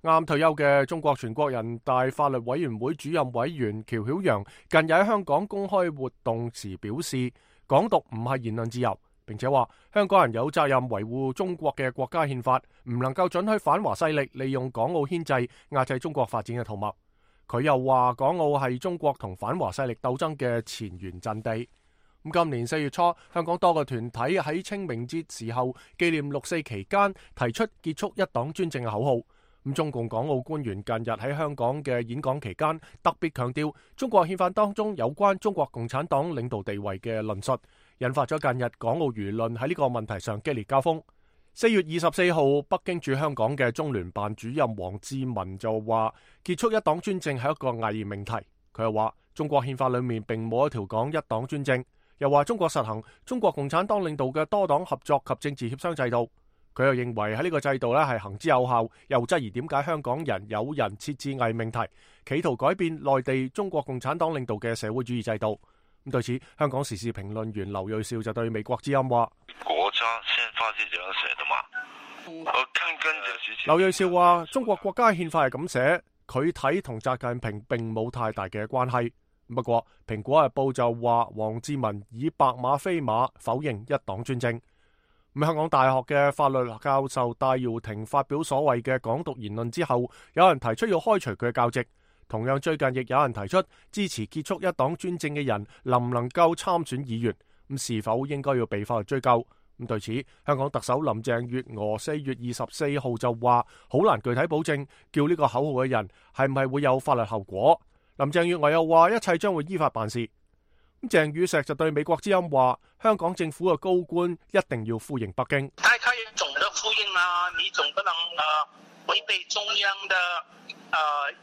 啱退休嘅中國全國人大法律委員會主任委員喬曉陽近日喺香港公開活動時表示，港獨唔係言論自由，並且話香港人有責任維護中國嘅國家憲法，唔能夠准許反華勢力利用港澳牽制壓制中國發展嘅圖謀。佢又話港澳係中國同反華勢力鬥爭嘅前沿陣地。今年4月初，香港多個團體喺清明節時候紀念6·4期間提出結束一黨專政嘅口號。中共港澳官員近日喺香港嘅演講期間，特別強調中國憲法當中有關中國共產黨領導地位嘅論述，引發咗近日港澳輿論喺呢個問題上激烈交鋒。4月24號，北京駐香港嘅中聯辦主任王志民就話，結束一黨專政係一個偽命題。佢又話，中國憲法裏面並冇一條講一黨專政，又話中國實行中國共產黨領導嘅多黨合作及政治協商制度。佢又認為喺呢個制度係行之有效，又質疑點解香港人有人設置偽命題，企圖改變內地中國共產黨領導嘅社會主義制度。對此，香港時事評論員劉銳紹就對美國之音話：國家憲法是這樣寫的嘛？劉銳紹話：中國國家憲法係咁寫，佢睇同習近平並冇太大嘅關係。不過，蘋果日報就話王志民以白馬非馬否認一黨專政。香港大學嘅法律教授戴耀廷發表所謂嘅港獨言論之後，有人提出要開除佢嘅教職。同樣最近亦有人提出支持結束一黨專政嘅人能唔能夠參選議員，是否應該要被法律追究？對此，香港特首林鄭月娥4月24號就話好難具體保證叫呢個口號嘅人係唔係會有法律後果。林鄭月娥又話一切將會依法辦事。鄭宇碩就對美國之音話，香港政府嘅高官一定要呼應北京。大家要懂得呼應啦，你總不能違背中央的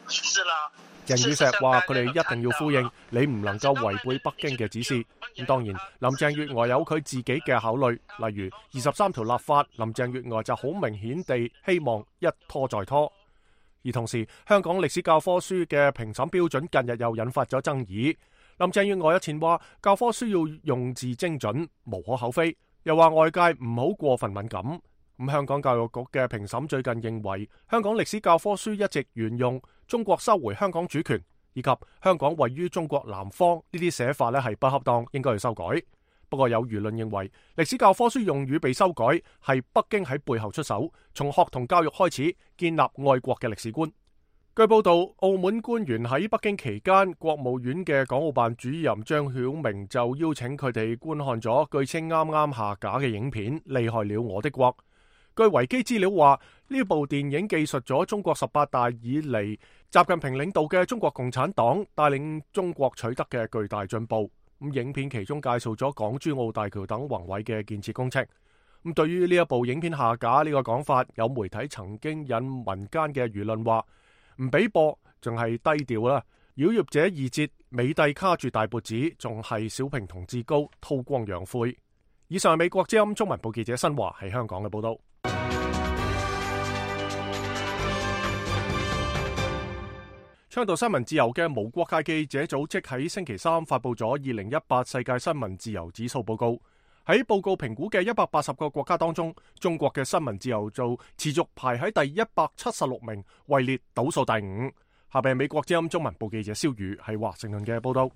指示啦。鄭宇碩話佢哋一定要呼應，你唔能夠違背北京嘅指示。當然，林鄭月娥有佢自己嘅考慮，例如23條立法，林鄭月娥就好明顯地希望一拖再拖。而同時，香港歷史教科書嘅評審標準近日又引發咗爭議。林鄭月娥日前話教科書要用字精準，無可厚非，又話外界唔好過分敏感。香港教育局嘅評審最近認為，香港歷史教科書一直沿用中國收回香港主權以及香港位於中國南方呢啲寫法係不恰當，應該要修改。不過有輿論認為，歷史教科書用語被修改係北京喺背後出手，從學童教育開始建立愛國嘅歷史觀。據報道，澳門官員喺北京期間，國務院嘅港澳辦主任張曉明就邀請佢哋觀看咗據稱啱啱下架嘅影片《厲害了我的國》。據維基資料話，呢部電影記述咗中國18大以嚟習近平領導嘅中國共產黨帶領中國取得嘅巨大進步。影片其中介紹咗港珠澳大橋等宏偉嘅建設工程。對於呢一部影片下架呢個講法，有媒體曾經引民間嘅輿論話唔俾播，仲係低調啦。妖孽者二節，美帝卡住大脖子，仲係小平同志高，韜光養晦。以上係美國之音中文部記者新華喺香港嘅報道。倡導新聞自由嘅無國界記者組織喺星期三發布咗2018世界新聞自由指數報告。喺報告評估嘅180個國家當中，中國嘅新聞自由就持續排喺第176名，位列倒數第5。下邊係美國之音中文部記者蕭宇喺華盛頓嘅報道。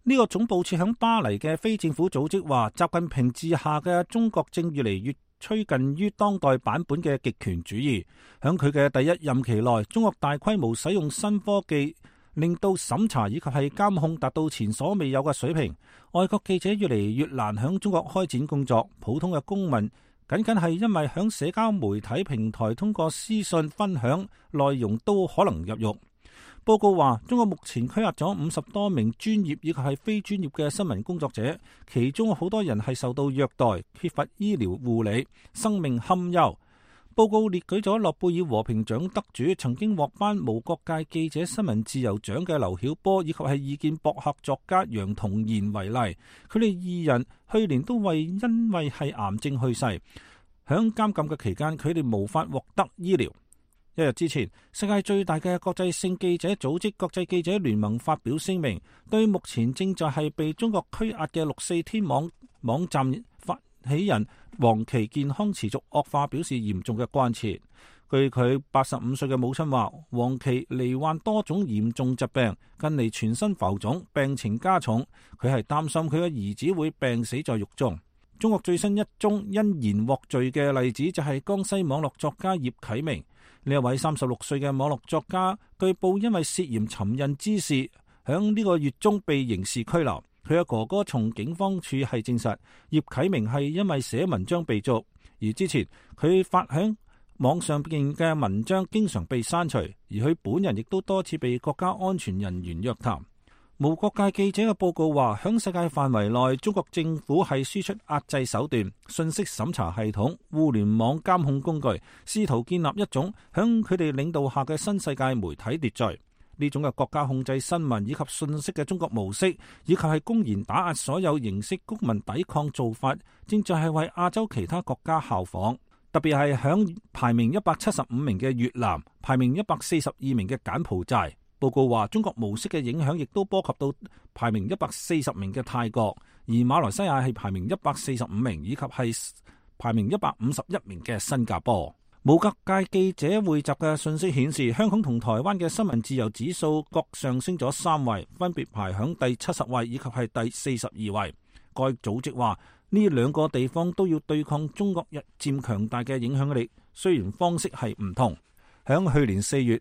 呢個總部設響巴黎嘅非政府組織話，習近平治下嘅中國正越嚟越趨近於當代版本嘅極權主義。響佢嘅第一任期內，中國大規模使用新科技，令到審查以及係監控達到前所未有嘅水平。外國記者越嚟越難響中國開展工作，普通嘅公民僅僅係因為響社交媒體平台通過私信分享內容都可能入獄。報告話，中國目前拘押咗50多名專業以及係非專業嘅新聞工作者，其中好多人係受到虐待、缺乏醫療護理、生命堪憂。報告列舉咗諾貝爾和平獎得主、曾經獲頒無國界記者新聞自由獎嘅劉曉波，以及係意見博客作家楊同賢為例，佢哋二人去年都因為係癌症去世。響監禁嘅期間，佢哋無法獲得醫療。一日之前，世界最大嘅國際性記者組織國際記者聯盟發表聲明，對目前正在係被中國拘押嘅6四天網站發起人黃琦健康持續惡化表示嚴重嘅關切。據佢85歲嘅母親話，黃琦罹患多種嚴重疾病，近嚟全身浮腫，病情加重。佢係擔心佢嘅兒子會病死在獄中。中國最新一宗因言獲罪嘅例子就係江西網絡作家葉啟明。呢一位36歲嘅網絡作家，據報因為涉嫌尋釁滋事，響呢個月中被刑事拘留。佢嘅哥哥從警方處係證實，葉啟明係因為寫文章被捉，而之前佢發響網上邊嘅文章經常被刪除，而佢本人亦都多次被國家安全人員約談。無國界記者嘅報告話，響世界範圍內，中國政府係輸出壓制手段、信息審查系統、互聯網監控工具，試圖建立一種響佢哋領導下嘅新世界媒體秩序。呢種嘅國家控制新聞以及信息嘅中國模式，以及係公然打壓所有形式公民抵抗做法，正在係為亞洲其他國家效仿。特別係響排名175名嘅越南，排名142名嘅柬埔寨。報告話，中國模式嘅影響亦都波及到排名140名嘅泰國，而馬來西亞係排名145名，以及係排名151名嘅新加坡。無國界記者匯集嘅信息顯示，香港同台灣嘅新聞自由指數各上升咗3位，分別排響第70位以及係第42位。該組織話，呢兩個地方都要對抗中國日漸強大嘅影響力，雖然方式係唔同。響去年4月，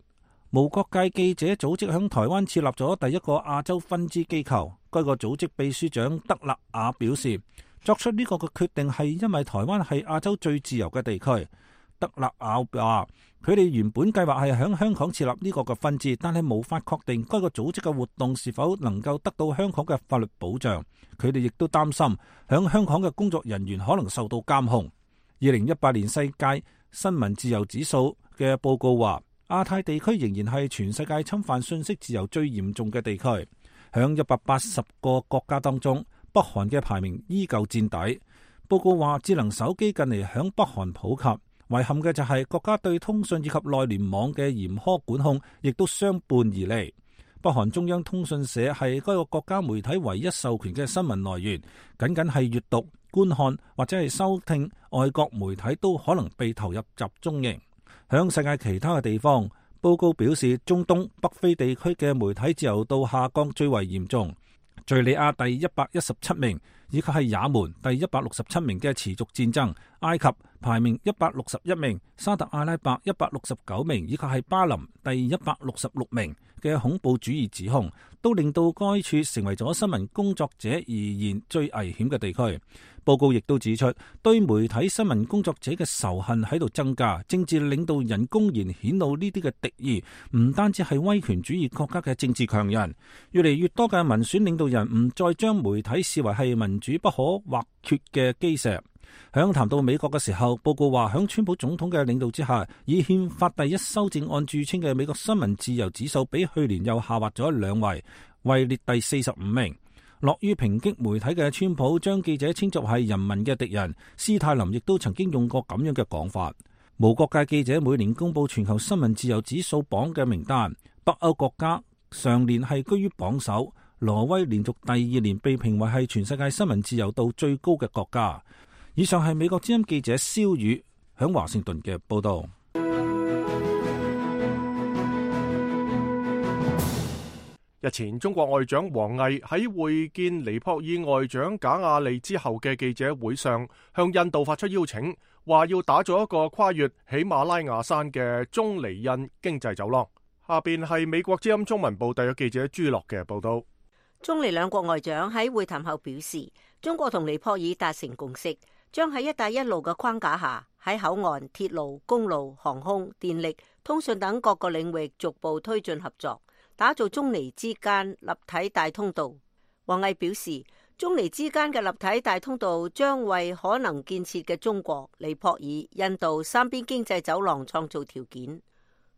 無國界記者組織響台灣設立咗第一個亞洲分支機構。該個組織秘書長德勒雅表示，作出呢個嘅決定係因為台灣係亞洲最自由嘅地區。德勒雅話，佢哋原本計劃係響香港設立呢個嘅分支，但係無法確定該個組織嘅活動是否能夠得到香港嘅法律保障。佢哋亦都擔心響香港嘅工作人員可能受到監控。2018年世界新聞自由指數嘅報告話，亞太地區仍然係全世界侵犯信息自由最嚴重嘅地區。響180個國家當中，北韓嘅排名依舊墊底。報告話，智能手機近嚟響北韓普及，遺憾嘅就係國家對通訊以及內聯網嘅嚴苛管控，亦都相伴而嚟。北韓中央通訊社係該個國家媒體唯一授權嘅新聞來源，僅僅係閱讀、觀看或者係收聽外國媒體都可能被投入集中營。響世界其他嘅地方，報告表示，中東、北非地區嘅媒體自由度下降最為嚴重。敘利亞第117名，以及係也門第167名嘅持續戰爭，埃及排名161名，沙特阿拉伯169名，以及係巴林第166名嘅恐怖主義指控，都令到該處成為咗新聞工作者而言最危險嘅地區。報告亦都指出，對媒體新聞工作者嘅仇恨喺度增加，政治領導人公然顯露呢啲嘅敵意，唔單止係威權主義國家嘅政治強人，越嚟越多嘅民選領導人唔再將媒體視為係民主不可或缺嘅基石。響談到美國嘅時候，報告話響川普總統嘅領導之下，以憲法第1修正案著稱嘅美國新聞自由指數比去年又下滑咗2位，位列第45名。樂於抨擊媒體嘅川普將記者稱作係人民嘅敵人，斯泰林亦都曾經用過咁樣嘅講法。無國界記者每年公布全球新聞自由指數榜嘅名單，北歐國家上年係居於榜首，挪威連續第2年被評為係全世界新聞自由度最高嘅國家。以上係美國之音記者蕭宇響華盛頓嘅報道。日前，中國外長王毅喺會見尼泊爾外長賈亞利之後嘅記者會上，向印度發出邀請，話要打造一個跨越喜馬拉雅山嘅中尼印經濟走廊。下邊係美國之音中文部特約記者朱樂嘅報道。中尼兩國外長喺會談後表示，中國同尼泊爾達成共識，將喺一帶一路嘅框架下，喺口岸、鐵路、公路、航空、電力、通訊等各個領域逐步推進合作，打造中尼之間立體大通道。王毅表示，中尼之間嘅立體大通道將為可能建設嘅中國、尼泊爾、印度三邊經濟走廊創造條件。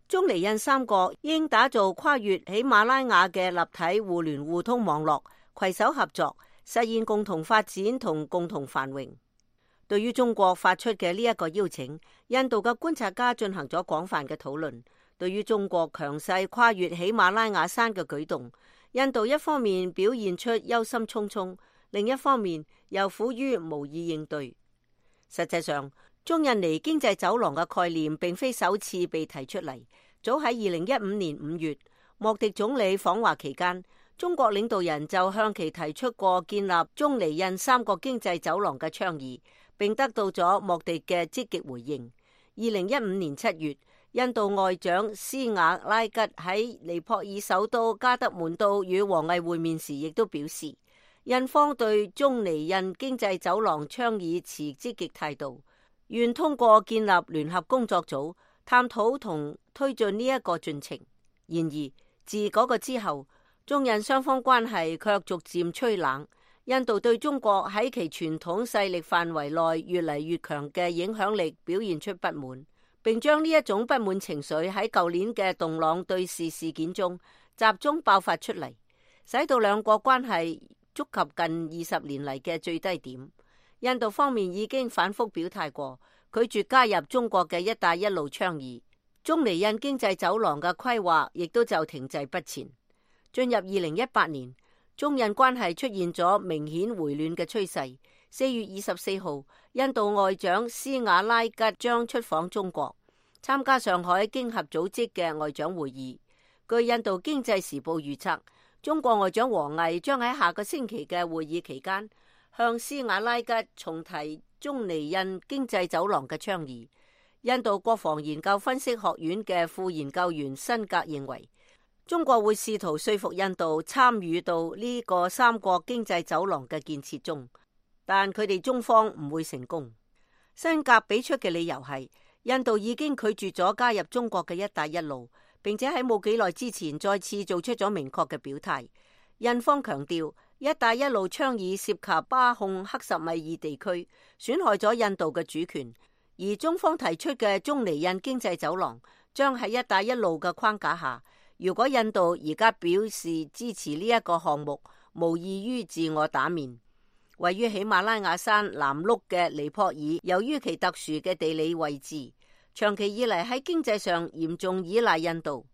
中尼印三國應打造跨越喜馬拉雅嘅立體互聯互通網絡，攜手合作，實現共同發展同共同繁榮。對於中國發出嘅呢一個邀請，印度嘅觀察家進行咗廣泛嘅討論。對於中國強勢跨越喜馬拉雅山嘅舉動，印度一方面表現出憂心忡忡，另一方面又苦於無以應對。實際上，中印尼經濟走廊嘅概念並非首次被提出嚟。早喺2015年5月，莫迪總理訪華期間，中國領導人就向其提出過建立中尼印三國經濟走廊嘅倡議，並得到咗莫迪嘅積極回應。2015年7月，印度外長斯瓦拉吉喺尼泊爾首都加德滿都與王毅會面時，亦都表示，印方對中尼印經濟走廊倡議持積極態度，願通過建立聯合工作組，探討同推進呢一個進程。然而，自嗰個之後，中印雙方關係卻逐漸趨冷。印度對中國喺其傳統勢力範圍內越嚟越強嘅影響力表現出不滿，並將呢一種不滿情緒喺舊年嘅洞朗對峙事件中集中爆發出嚟，使到兩國關係觸及近20年嚟嘅最低點。印度方面已經反覆表態過，拒絕加入中國嘅一帶一路倡議，中尼印經濟走廊嘅規劃亦都就停滯不前。進入2018年，中印關係出現咗明顯回暖嘅趨勢。4月24號，印度外長斯瓦拉吉將出訪中國，參加上海經合組織嘅外長會議。據印度經濟時報預測，中國外長王毅將喺下個星期嘅會議期間，向斯瓦拉吉重提中尼印經濟走廊嘅倡議。印度國防研究分析學院嘅副研究員辛格認為，中國會試圖說服印度參與到呢個三國經濟走廊嘅建設中，但佢哋中方唔會成功。辛格俾出嘅理由係，印度已經拒絕咗加入中國嘅一帶一路，並且喺冇幾耐之前再次做出咗明確嘅表態。印方強調，一帶一路倡議涉及巴控克什米爾地區，損害咗印度嘅主權，而中方提出嘅中尼印經濟走廊將喺一帶一路嘅框架下。如果印度而家表示支持呢一個項目，無異於自我打面。位於喜馬拉雅山南麓嘅尼泊爾，由於其特殊嘅地理位置，長期以嚟喺經濟上嚴重依賴印度，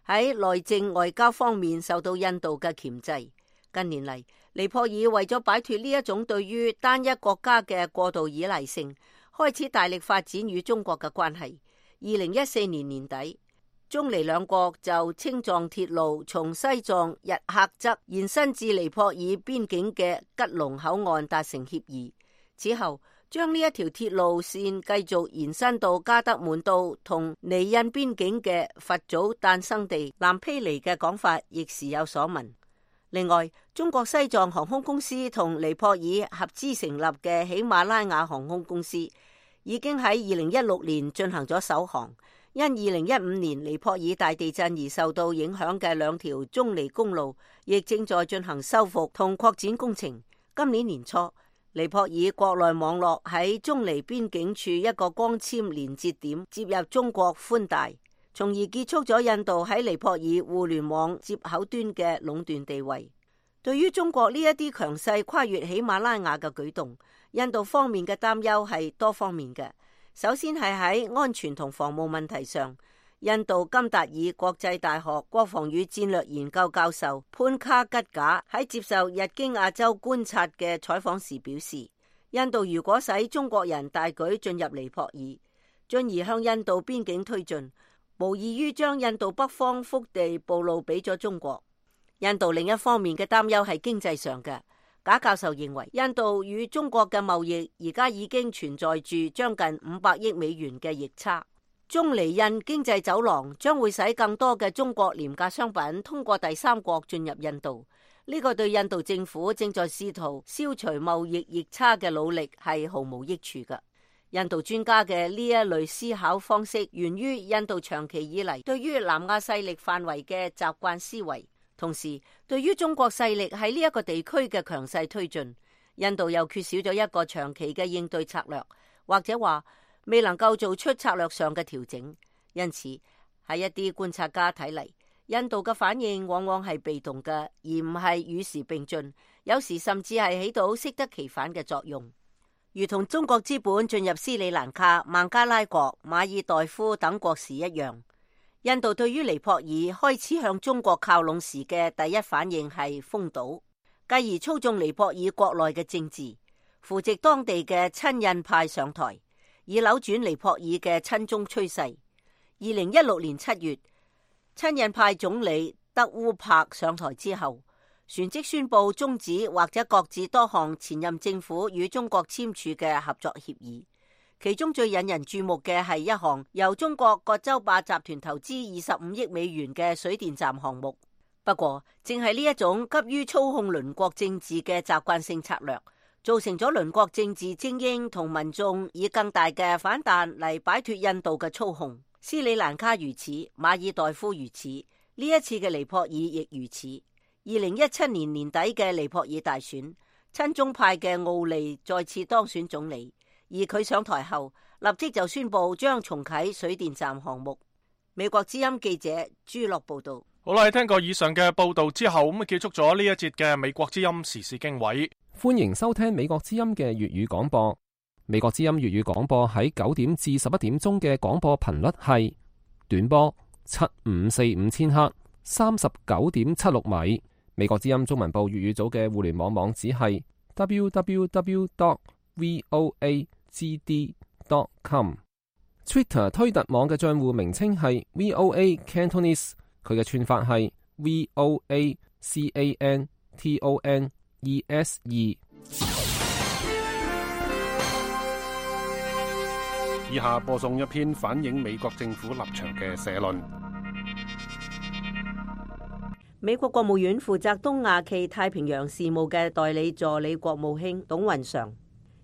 喺內政外交方面受到印度嘅鉗制。近年嚟，尼泊爾為咗擺脫呢一種對於單一國家嘅過度依賴性，開始大力發展與中國嘅關係。2014年年底，中尼兩國就青藏鐵路從西藏日喀則延伸至尼泊爾邊境嘅吉隆口岸達成協議。此後，將呢一條鐵路線繼續延伸到加德滿都同尼印邊境嘅佛祖誕生地南披尼嘅講法亦時有所聞。另外，中國西藏航空公司同尼泊爾合資成立嘅喜馬拉雅航空公司已經喺2016年進行咗首航。因2015年尼泊爾大地震而受到影響嘅兩條中尼公路亦正在進行修復同擴展工程。今年年初，尼泊爾國內網絡喺中尼邊境處一個光纖連接點接入中國寬帶，從而結束咗印度喺尼泊爾互聯網接口端嘅壟斷地位。對於中國呢一啲強勢跨越喜馬拉雅嘅舉動，印度方面嘅擔憂係多方面嘅。首先係喺安全同防務問題上，印度金達爾國際大學國防與戰略研究教授潘卡吉賈喺接受日經亞洲觀察嘅採訪時表示，印度如果使中國人大舉進入尼泊爾，進而向印度邊境推進，無異於將印度北方腹地暴露俾咗中國。印度另一方面嘅擔憂係經濟上嘅。賈教授認為，印度與中國嘅貿易而家已經存在住將近500億美元嘅逆差。中尼印經濟走廊將會使更多嘅中國廉價商品通過第三國進入印度，呢個對印度政府正在試圖消除貿易逆差嘅努力係毫無益處嘅。印度專家嘅呢一類思考方式源於印度長期以嚟對於南亞勢力範圍嘅習慣思維。同時，對於中國勢力喺呢一個地區嘅強勢推進，印度又缺少咗一個長期嘅應對策略，或者話未能夠做出策略上嘅調整。因此，喺一啲觀察家睇嚟，印度嘅反應往往係被動嘅，而唔係與時並進，有時甚至係起到適得其反嘅作用。如同中國資本進入斯里蘭卡、孟加拉國、馬爾代夫等國時一樣，印度對於尼泊爾開始向中國靠攏時嘅第一反應係封堵，繼而操縱尼泊爾國內嘅政治，扶植當地嘅親印派上台，以扭轉尼泊爾嘅親中趨勢。2016年7月，親印派總理德烏柏上台之後，旋即宣布終止或者擱置多項前任政府與中國簽署嘅合作協議。其中最引人注目嘅係一項由中國葛洲壩集團投資25億美元嘅水電站項目。不過，正係呢一種急於操控鄰國政治嘅習慣性策略，造成咗鄰國政治精英同民眾以更大嘅反彈嚟擺脫印度嘅操控。斯里蘭卡如此，馬爾代夫如此，呢一次嘅尼泊爾亦如此。2017年年底嘅尼泊爾大選，親中派嘅奧利再次當選總理。而佢上台後，立即就宣布將重啟水電站項目。美國之音記者朱樂報道。好啦，聽過以上嘅報道之後，咁結束咗呢一節嘅美國之音時事經緯。歡迎收聽美國之音嘅粵語廣播。美國之音粵語廣播喺9點至11點鐘嘅廣播頻率係短波7545千赫39.76米。美國之音中文部粵語組嘅互聯網網址係 www.voagd.com。Twitter 推特網嘅賬戶名稱係 VOA Cantonese， 佢嘅串法係 VOACANTONESE。以下播送一篇反映美國政府立場嘅社論。美國國務院負責東亞暨太平洋事務嘅代理助理國務卿董雲常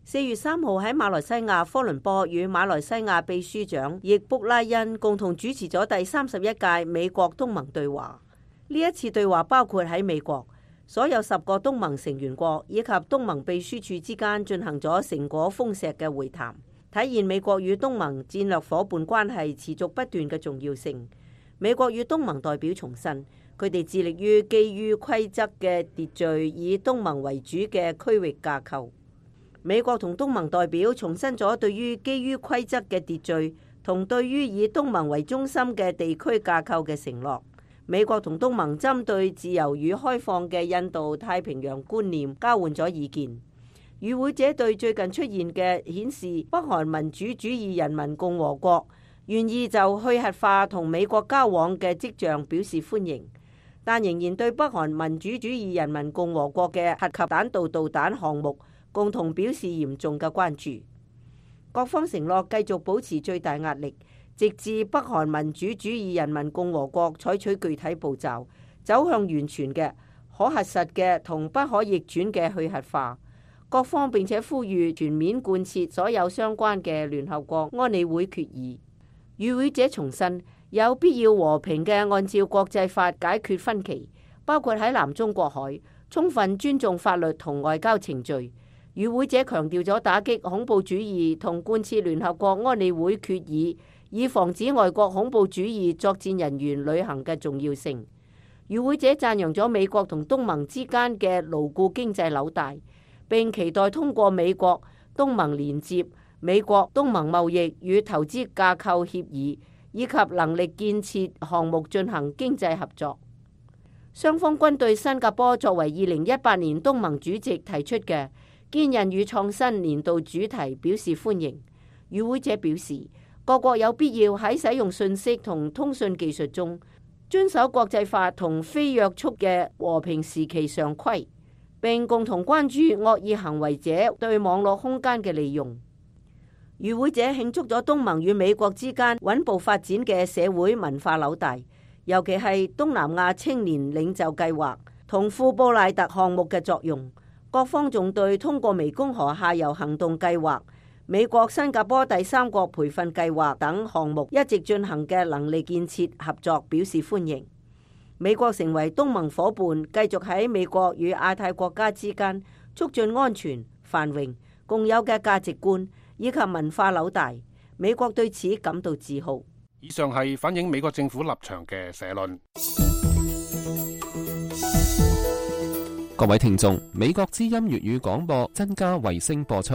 4月3號喺馬來西亞科倫坡與馬來西亞秘書長易卜拉欣共同主持咗第31屆美國東盟對話。呢一次對話包括喺美國所有10個東盟成員國以及東盟秘書處之間進行咗成果豐碩嘅會談，體現美國與東盟戰略夥伴關係持續不斷嘅重要性。美國與東盟代表重申，佢哋致力於基於規則嘅秩序，以東盟為主嘅區域架構。美國同東盟代表重申咗對於基於規則嘅秩序同對於以東盟為中心嘅地區架構嘅承諾。美國同東盟針對自由與開放嘅印度太平洋觀念交換咗意見。與會者對最近出現嘅顯示北韓民主主義人民共和國願意就去核化同美國交往嘅跡象表示歡迎，但仍然對北韓民主主義人民共和國嘅核及彈道導彈項目共同表示嚴重嘅關注。各方承諾繼續保持最大壓力，直至北韓民主主義人民共和國採取具體步驟，走向完全嘅可核實嘅同不可逆轉嘅去核化。各方並且呼籲全面貫徹所有相關嘅聯合國安理會決議。與會者重申有必要和平嘅按照國際法解決分歧，包括喺南中國海充分尊重法律同外交程序。與會者強調咗打擊恐怖主義同貫徹聯合國安理會決議，以防止外國恐怖主義作戰人員旅行嘅重要性。與會者讚揚咗美國同東盟之間嘅牢固經濟紐帶，並期待通過美國東盟連接、美國東盟貿易與投資架構協議以及能力建設項目進行經濟合作。雙方均對新加坡作為2018年東盟主席提出嘅堅韌與創新年度主題表示歡迎。與會者表示，各國有必要喺使用信息同通訊技術中遵守國際法同非約束嘅和平時期常規，並共同關注惡意行為者對網絡空間嘅利用。與會者慶祝咗東盟與美國之間穩步發展嘅社會文化紐帶，尤其係東南亞青年領袖計劃同富布賴特項目嘅作用。各方仲對通過湄公河下游行動計劃、美國新加坡第三國培訓計劃等項目一直進行嘅能力建設合作表示歡迎。美國成為東盟夥伴，繼續喺美國與亞太國家之間促進安全、繁榮、共有嘅價值觀以及文化紐帶。美國對此感到自豪。以上係反映美國政府立場嘅社論。各位聽眾，美國之音粵語廣播增加衛星播出。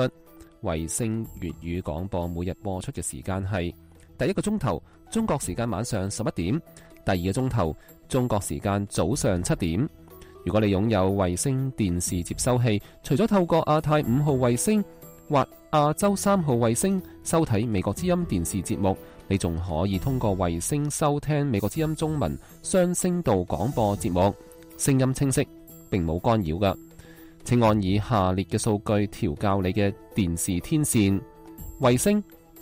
衛星粵語廣播每日播出嘅時間係第一個鐘頭中國時間晚上11點，第二個鐘頭中國時間早上7點。如果你擁有衛星電視接收器，除咗透過亞太5號衛星或亞洲3號衛星收睇美國之音電視節目，你仲可以通過衛星收聽美國之音中文雙聲道廣播節目，聲音清晰，並冇干擾㗎。請按以下列嘅數據調校你嘅電視天線：衛星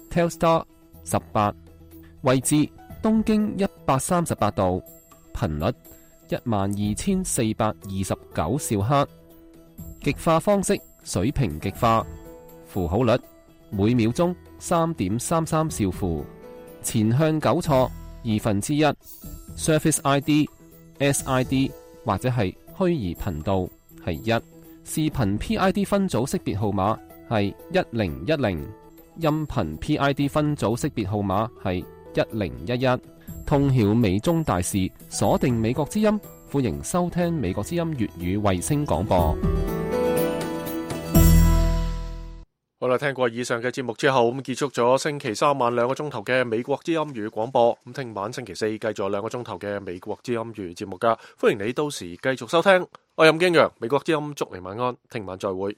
Telstar 18，位置東經138度，頻率12429兆赫，極化方式水平極化，符號率每秒鐘3.33兆符，前向糾錯1/2， Surface ID、SID 或者係虛擬頻道係1，視頻 PID 分組識別號碼係1010，音頻 PID 分組識別號碼係1011。通曉美中大事，鎖定美國之音，歡迎收聽美國之音粵語衛星廣播。好啦，聽過以上嘅節目之後，咁結束咗星期三晚2個鐘頭嘅美國之音粵語廣播。咁聽晚星期四繼續2個鐘頭嘅美國之音粵語節目噶，歡迎你到時繼續收聽。我係任敬陽，美國之音祝你晚安，聽晚再會。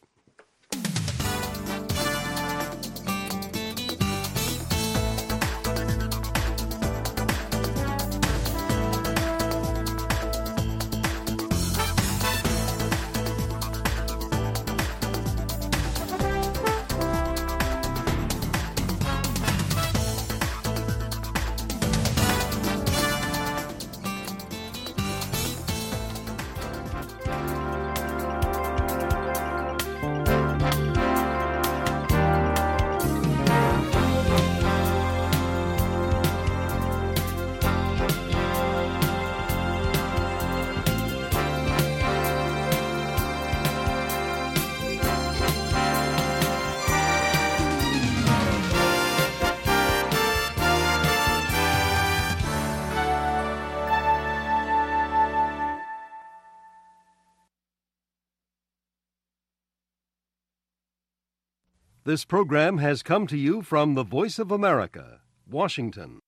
This program has come to you from the Voice of America, Washington.